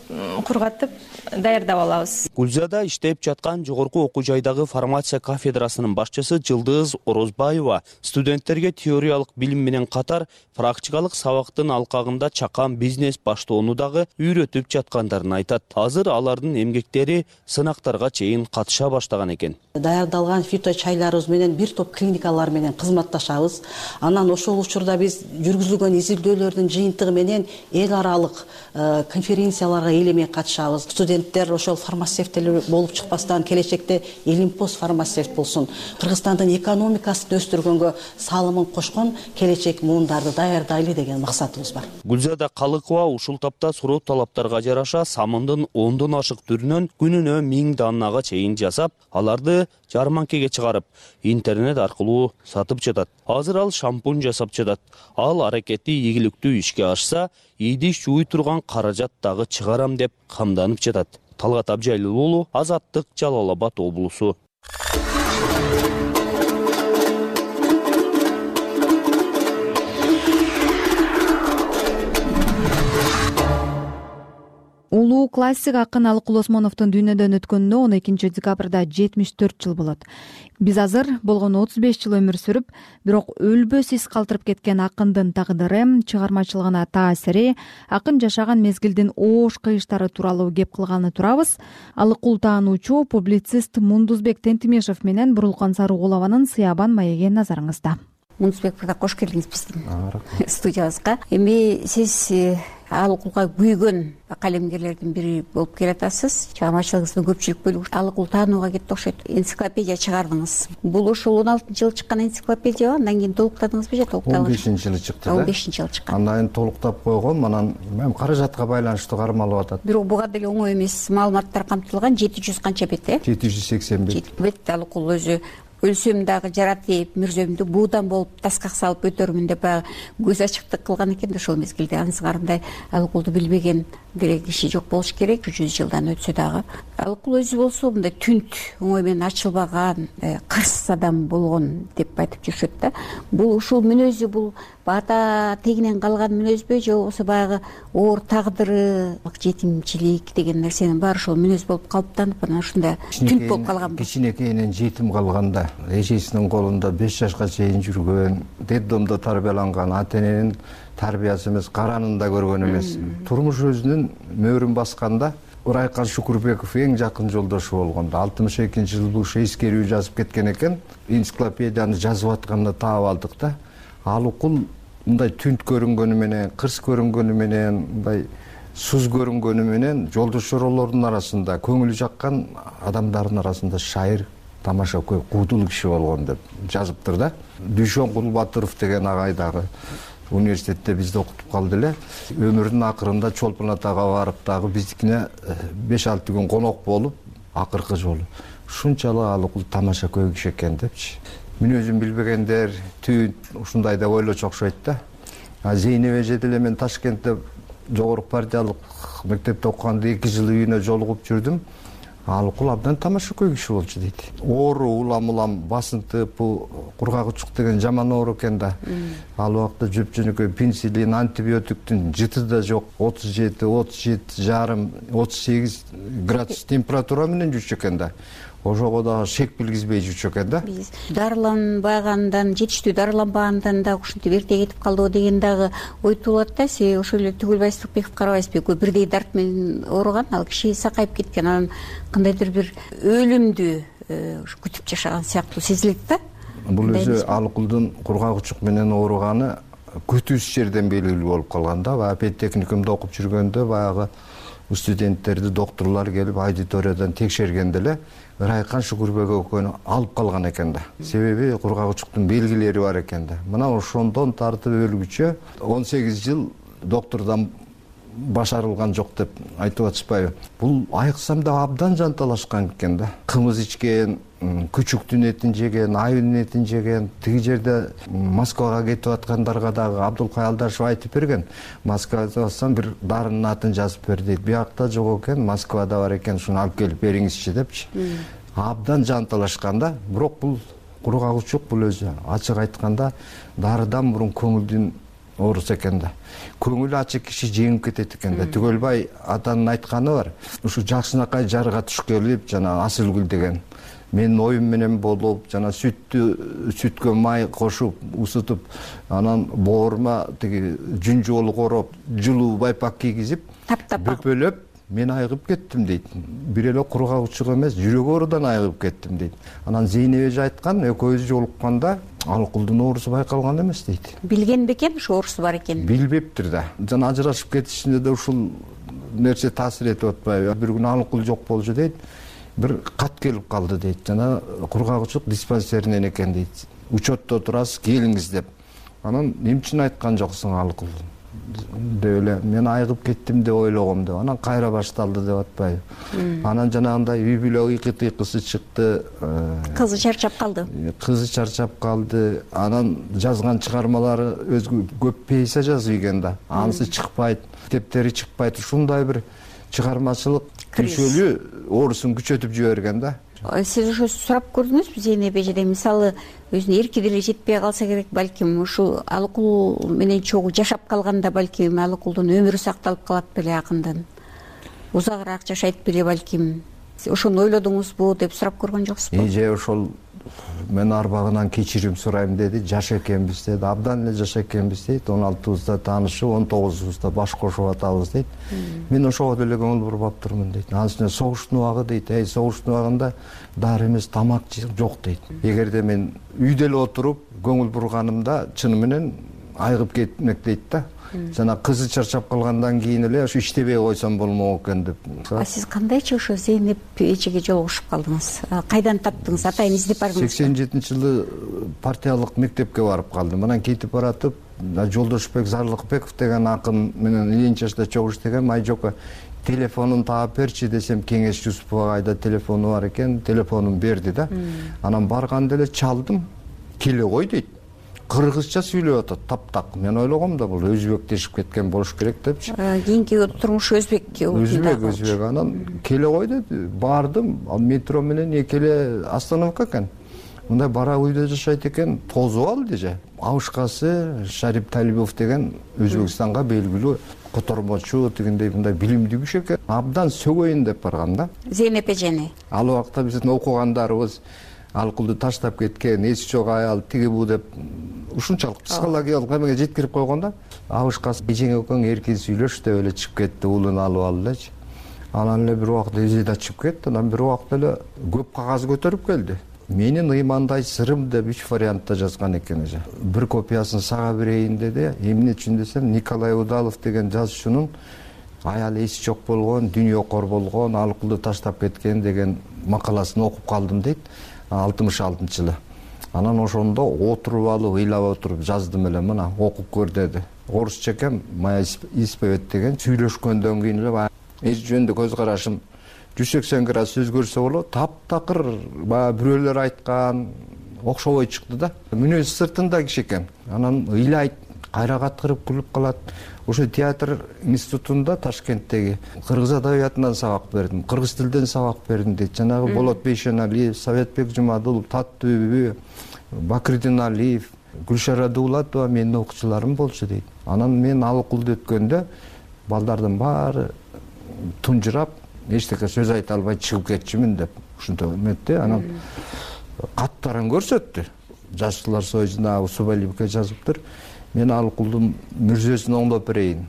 кургатып даярдап алабыз. Гүлзада иштеп жаткан жогорку окуу жайдагы фармация кафедрасынын башчысы Жылдыз Орозбаева студенттерге теориялык билим менен катар практикалык сабактын алкагында чакан бизнес баштоону дагы үйрөтүп жаткандарын айтат. Азыр алардын эмгектери сынактарга чейин катыша баштаган экен. Даярдалган фито чайларыбыз менен бир топ клиникалар менен кызматташабыз. Анан ошол учурда биз жүргүзүлгөн изилдөөлөрдүн жыйынтыгы менен эл аралык конференцияларга элемей катышабыз. Студенттер ошол фармацевттер болуп чыкпастан келечекте Элимпос фармацевт болсун, Кыргызстандын экономикасын өстүргөнгө салымын кошкон келечек муундарды даярдайлы деген максатыбыз бар. Гүлзада Калыкова ушул тапта суроо талаптарга жараша самындын 10дон ашык түрүнөн күнүнө 1000 данага чейин жасап, аларды жарманкеге чыгарып, интернет аркылуу сатып жатат. Азыр ал шампунь жасап жатат. Ал аракети ийгиликтүү ишке ашса, идиш жууй турган каражат дагы чыгарам деп камданып жатат. Талгат Абжелил уулу, Азаттык, Жалал Абад облусу. Улуу классик акын Алыкул Осмоновдун дүйнөдөн өткөнүнө 12 декабрда 74 жыл болот. Биз азыр болгону 35 жыл өмүр сүрүп, бирок өлбөс из калтырып кеткен акындын тагдыры, чыгармачылыгына таасири, акын жашаган мезгилдин оош кыйыштары тууралуу кеп кылганы турабыз. Алыкул таануучу публицист Мундузбек Тентимешев менен Бурулкан Сарыгулованын Сыябан маеги назарыңызда. Мунусбек мырза, кош келдиңиз биздин студиябызга. Эми сиз Алыкулга күйгөн калемгерлердин бири болуп келатасыз. Чыгармачылыгыңыздын көпчүлүк бөлүгү Алыкул таанууга кетти окшойт. Энциклопедия чыгардыңыз. Бул ушул 16-жылы чыккан энциклопедия, андан кийин толуктадыңызбы же толукталган? 15-жылы чыкты. 15-жылы чыккан. Андан кийин толуктап койгом, анан каражатка байланыштуу кармалып атат. Бирок буга деле оңой эмес маалыматтар камтылган. 700 канча бет, 781 бет. Алыкул өзү өлсөм дагы жарат деп, мүрзөмдү буудан болуп таскак салып өтөрмүн деп көз ачыктык кылган экен да ошол мезгилде. Анын сыңарындай Алыкулду билбеген деле киши жок болуш керек. 100 жылдан өтсө дагы. Алыкул өзү болсо мындай түнт, оңой менен ачылбаган, кырс адам болгон деп айтып жүрүшөт да. Бул ушул мүнөзү, бул ата тегинен калган мүнөзбү же болбосо баягы оор тагдыры, жетимчилик деген нерсенин баары ошол мүнөз болуп калыптанып, анан ушундай түнт болуп калганбы? Кичинекейинен жетим калганда, эжесинин колунда 5 жашка чейин жүргөн, детдомдо тарбияланган, ата эненин тарбиясы эмес, каранын да көргөн эмес. Турмуш өзүнүн мөөрүн басканда Урайкан Шукурбеков эң жакын жолдошу болгондо 62-жылы бул эскерүү жазып кеткен экен. Энциклопедияны жазып атканда таап алдык да. Алыкул мындай түнт көрүнгөнү менен, кырс көрүнгөнү менен, мындай суз көрүнгөнү менен жолдошоролордун арасында, көңүлү жаккан адамдардын арасында шайыр, тамаша көй, куудул киши болгон деп жазыптыр да. Дүйшөн Кулбатыров деген агай дагы университетте бизди окутуп калды эле. Өмүрүнүн акырында Чолпон Атага барып дагы биздикине 5-6 күн конок болуп, акыркы жолу ушунчалык Алыкул тамаша көй киши экен депчи. Мүнөзүн билбегендер түнт ушундай деп ойлочу окшойт да. Зейнеп эже деле мен Ташкентте жогорку партиялык мектепте окуганда 2 жыл үйүнө жолугуп жүрдүм. Алыкул абдан тамаша көй киши болчу дейт. Оору, улам басынтып, кургак учук деген жаман оору экен да. Ал убакта жөп-жөнөкөй пенсилин, антибиотиктин жыты да жок. 37, 37,5, 38 градус температура менен жүрчү экен да. Ошого дагы шек билгизбей жүрчү экен да. Биз дарыланбагандан, жетиштүү дарыланбагандан дагы ушинтип эрте кетип калдыбы деген дагы ой туулат да. Себеби ошол эле Түгүлбай Сырыкбеков карабайсызбы, экөө бирдей дарт менен ооруган, ал киши сакайып кеткен, анан кандайдыр бир өлүмдү күтүп жашаган сыяктуу сезилет да. Бул өзү Алыкулдун кургак учук менен ооруганы күтүүсүз жерден белгилүү болуп калган да. Баягы педтехникумда окуп жүргөндө баягы студенттерди доктурлар келип аудиториядан текшергенде эле Ырайкан Шукурбеков экөөнү алып калган экен да. Себеби кургак учуктун белгилери бар экен да. Мына ошондон тартып өлгүчө 18 жыл доктордон башарылган жок деп айтып атышпайбы? Бул айыксам да абдан жанталашкан экен да. Кымыз ичкен, күчүктүн этин жеген, айылдын этин жеген. Тиги жерде Москвага кетип аткандарга дагы Абдулкай Алдашев айтып берген. Москвада барсам бир дарынын атын жазып бер дейт. Биякта жок экен, Москвада бар экен, ушуну алып келип бериңизчи депчи. Абдан жанталашкан да. Бирок бул кургак учук, бул өзү ачык айтканда дарыдан мурун көңүлдүн оорусу экен да. Көңүлү ачык киши жеңип кетет экен да. Түгөлбай атанын айтканы бар. Ушу Жакшынакай жарга туш келип, жана Асылгүл деген менин оюм менен болуп, жана сүткө май кошуп, усутуп, анан боорума тиги жүнжолу короп, жылуу байпак кийгизип, бөпөлөп, мен айыгып кеттим дейт. Бир эле кургак учук эмес, жүрөк оорудан айыгып кеттим дейт. Анан Зейнеп эже айткан, экөөбүз жолукканда Алыкулдун оорусу байкалган эмес дейт. Билген бекен ушу оорусу бар экенин? Билбептир да. Жана ажырашып кетишинде да ушул нерсе таасир этип атпайбы? Бир күнү Алыкул жок болчу дейт. Бир кат келип калды дейт. Жана кургак учук диспансеринен экен дейт. Учетто турасыз, келиңиз деп. Анан эмне үчүн айткан жоксуң Алыкул деп эле мен айыгып кеттим деп ойлогом деп. Анан кайра башталды деп атпайбы? Анан жанагындай үй бүлө ыйкы-тыйкысы чыкты. Кызы чарчап калды. Анан жазган чыгармалары өзгө көп пьеса жазып ийген да. Анысы чыкпайт, китептери чыкпайт. Ушундай бир чыгармачылык күчөлүү оорусун күчөтүп жиберген да. Сиз ошо сурап көрдүңүзбү Зейнеп эжеден? Мисалы, өзүнүн эрки деле жетпей калса керек, балким ушу Алыкул менен чогуу жашап калганда балким Алыкулдун өмүрү сакталып калат беле акындан. Узагыраак жашайт беле балким. Ошону ойлодуңузбу деп сурап көргөн жоксузбу? Же ошол мен арбагынан кечирим сурайм деди. Жаш экенбиз деди. Абдан эле жаш экенбиз дейт. 16-бызда таанышып, 19-бызда баш кошуп атабыз дейт. Мен ошого деле көңүл буруп аптырмын дейт. Анын үстүнө согуштун убагы дейт. Согуштун убагында дары эмес тамак жок дейт. Эгерде мен үйдө эле отуруп көңүл бурганымда чыны менен айыгып кетмек дейт да. Жана кызы чарчап калгандан кийин эле ушу иштебей койсом болмок экен деп. Сиз кандайчы ошо Зейнеп эжеге жолугушуп калдыңыз? Кайдан таптыңыз? Атайын издеп бардыңызбы? 87-жылы партиялык мектепке барып калдым. Анан кетип баратып, Жолдошбек Зарлыкбеков деген акын менен Ленин чашта чогуу иштегем. Айжока телефонун таап берчи десем, Кеңеш Жусуповага айда телефону бар экен, телефонун берди да. Анан барганда эле чалдым. Келе кой дейт. Кыргызча сүйлөп атат, таптак. Мен ойлогом да бул өзбектешип кеткен болуш керек депчи. Кийинки турмушу өзбек. Өзбек. Анан келе кой деди. Бардым, метро менен экеле остановка экен. Мындай бара үйдө жашайт экен, тозуп алды же. Абышкасы Шарип Талибов деген Өзбекстанга белгилүү котормочу, дегендей мындай билимдүү киши экен. Абдан сөгөйүн деп баргам да. Зейнеп эжени. Ал убакта биздин окугандарыбыз Алкулду таштап кеткен, эси жок аял тиги бу деп ушунчалык психологиялык эмеге жеткирип койгон да. Абышкасы эжең экөөң эркин сүйлөш деп эле чыгып кетти, уулун алып алды элечи. Анан эле бир убакта эже да чыгып кетти. Анан бир убакта эле көп кагаз көтөрүп келди. Менин ыймандай сырым деп 3 вариантта жазган экен эже. Бир копиясын сага берейин деди. Эмне үчүн десем, Николай Удалов деген жазуучунун аялы эси жок болгон, дүйнөкор болгон, Алкулду таштап кеткен деген макаласын окуп калдым дейт. 66-жылы. Анан ошондо отуруп алып, ыйлап отуруп жаздым эле, мына окуп көр деди. Орусча экен, моя исповедь деген. Сүйлөшкөндөн кийин эле эч жөнүндө көз карашым 180 градус өзгөрсө болот. Таптакыр баягы бирөөлөр айткан окшобой чыкты да. Мүнөзү сыртында киши экен. Анан ыйлайт, кайра каткырып күлүп калат. Ошо театр институтунда Ташкенттеги кыргыз адабиятынан сабак бердим, кыргыз тилден сабак бердим дейт. Жанагы Болот Бейшеналиев, Советбек Жумадулов, Таттүбү, Бакырдин Алиев, Гүлшара Дуулатова менин окуучуларым болчу дейт. Анан мен Алкулду өткөндө балдардын баары тунжурап, эчтеке сөз айта албай чыгып кетчүмүн деп ушинтип эметти. Анан каттарын көрсөттү. Жашчылар союзуна Субалибке жазыптыр. Мен Алкулдун мүрзөсүн оңдоп берейин.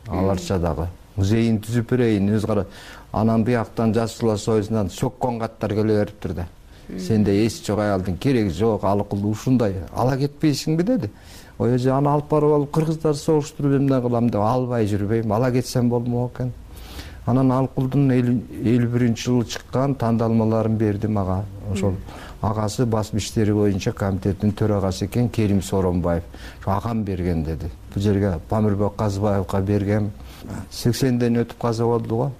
Аларча дагы музейин түзүп берейин. Өз кара. Анан бияктан Жашчылар союзунан сөккөн каттар келе бериптир да. Сенде эси жок аялдын кереги жок, Алкулду ушундай ала кетпейсиңби деди. Ой эже аны алып барып алып кыргыздар согуштуруп эмне кылам деп албай жүрбөйм. Ала кетсем болмок экен. Анан Алкулдун 51-жылы чыккан тандалмаларын бердим ага. Ошол агасы басма иштери боюнча комитеттин төрагасы экен Керим Соронбаев. Агам берген деди. Бул жерге Памирбек Казыбаевга бергем. 80ден өтүп каза болду го.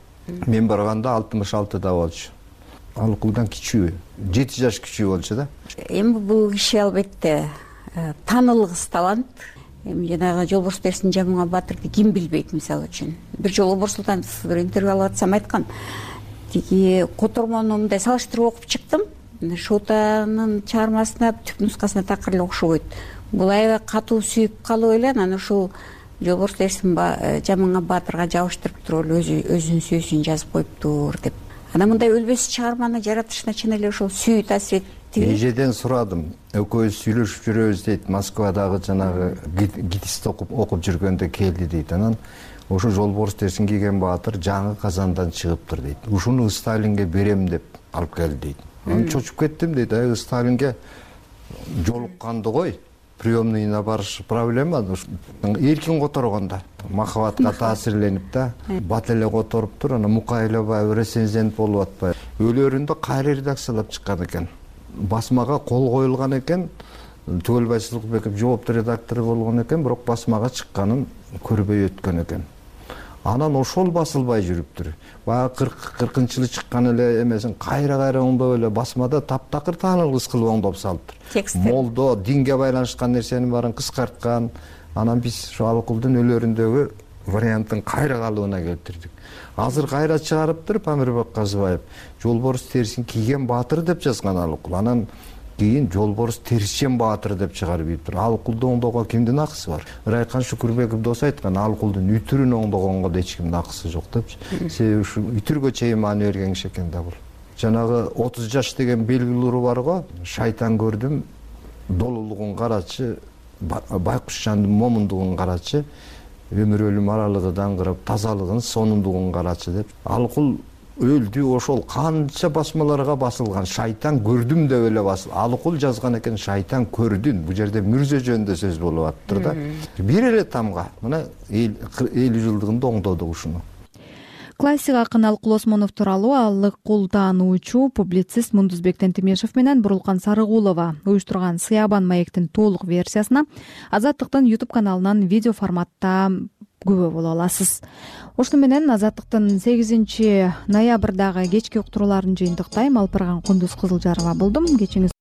Мен барганда 66да болчу. Алкулдан кичүү, 7 жаш кичүү болчу да. Эми бул киши албетте таанылгыс талант. Эми жанагы Жолборс Терсин Жамуңа Батырды ким билбейт мисалы үчүн. Бир жолу Борсултанов бир интервью алып атсам айткан. Тиги котормону мындай салыштырып окуп чыктым. Шотанын чыгармасына түп нускасына такыр эле окшобойт. Бул аябай катуу сүйүп калып эле анан ушул Жолборс Терсин Жамуңа Батырга жабыштырып туруп эле өзүнүн сүйүүсүн жазып коюптур деп. Анан мындай өлбөс чыгарманы жаратышына чын эле ошол сүйүү таасир этти. Эжеден сурадым. Экөөбүз сүйлөшүп жүрөбүз дейт. Москвадагы жанагы гитист окуп жүргөндө келди дейт. Анан ошо Жолборс Терсин кийген Баатыр жаңы Казандан чыгыптыр дейт. Ушуну Сталинге берем деп алып келди дейт. Анан чочуп кеттим дейт. Сталинге жолукканды кой. Приемныйына барыш проблема. Эркин которгондо махабатка таасирленип да, бат эле которуптур. Анан Мукайлабаев рецензент болуп атпайбы. Өлөрүндө кайра редакциялап чыккан экен. Басмага кол коюлган экен. Түгөлбай Сылыкбеков жооптуу редактору болгон экен, бирок басмага чыкканын көрбөй өткөн экен. Анан ошол басылбай жүрүптүр. Баягы 40-жылы чыккан эле эмесин кайра оңдоп эле басмада таптакыр таанылгыс кылып оңдоп салыптыр. Молдо динге байланышкан нерсенин баарын кыскарткан. Анан биз ошо Алкулдун өлөрүндөгү варианттын кайра калыбына келтирдик. Азыр кайра чыгарыптыр Памирбек Казыбаев. Жолборс Терсин кийген Баатыр деп жазган Алкул. Анан кийин Жолборс Терсин Баатыр деп чыгарып ийиптир. Алкулду оңдоого кимдин акысы бар? Райкан Шүкүрбеков дос айткан, Алкулдун үтүрүн оңдогонго да эч кимдин акысы жок депчи. Себеби ушу үтүргө чейин маани берген киши экен да бул. жанагы 30 жаш деген белгилүү уру бар го, шайтан көрдүм, долулугун карачы, байкуш жандын момундугун карачы, өмүр өлүм аралыгы даңгырап, тазалыгын, сонундугун карачы деп. Алыкул өлдү, ошол канча басмаларга басылган, шайтан көрдүм деп эле Алыкул жазган экен, шайтан көрдүн. Бул жерде мүрзө жөнүндө сөз болуп атыптыр да. Бир эле тамга мына 50 жылдыгында оңдодук ушуну. Классик акын Алыкул Осмонов тууралуу Алыкул таануучу публицист Мундузбек Тентимешев менен Бурулкан Сарыгулова уюштурган Сыябан маектин толук версиясына Азаттыктын YouTube каналынан видео форматта күбө боло аласыз. Ошону менен Азаттыктын 8 ноябрдагы кечки уктурууларын жыйынтыктайм. Алпырган Кундуз Кызылжарова болдум. Кечиңиз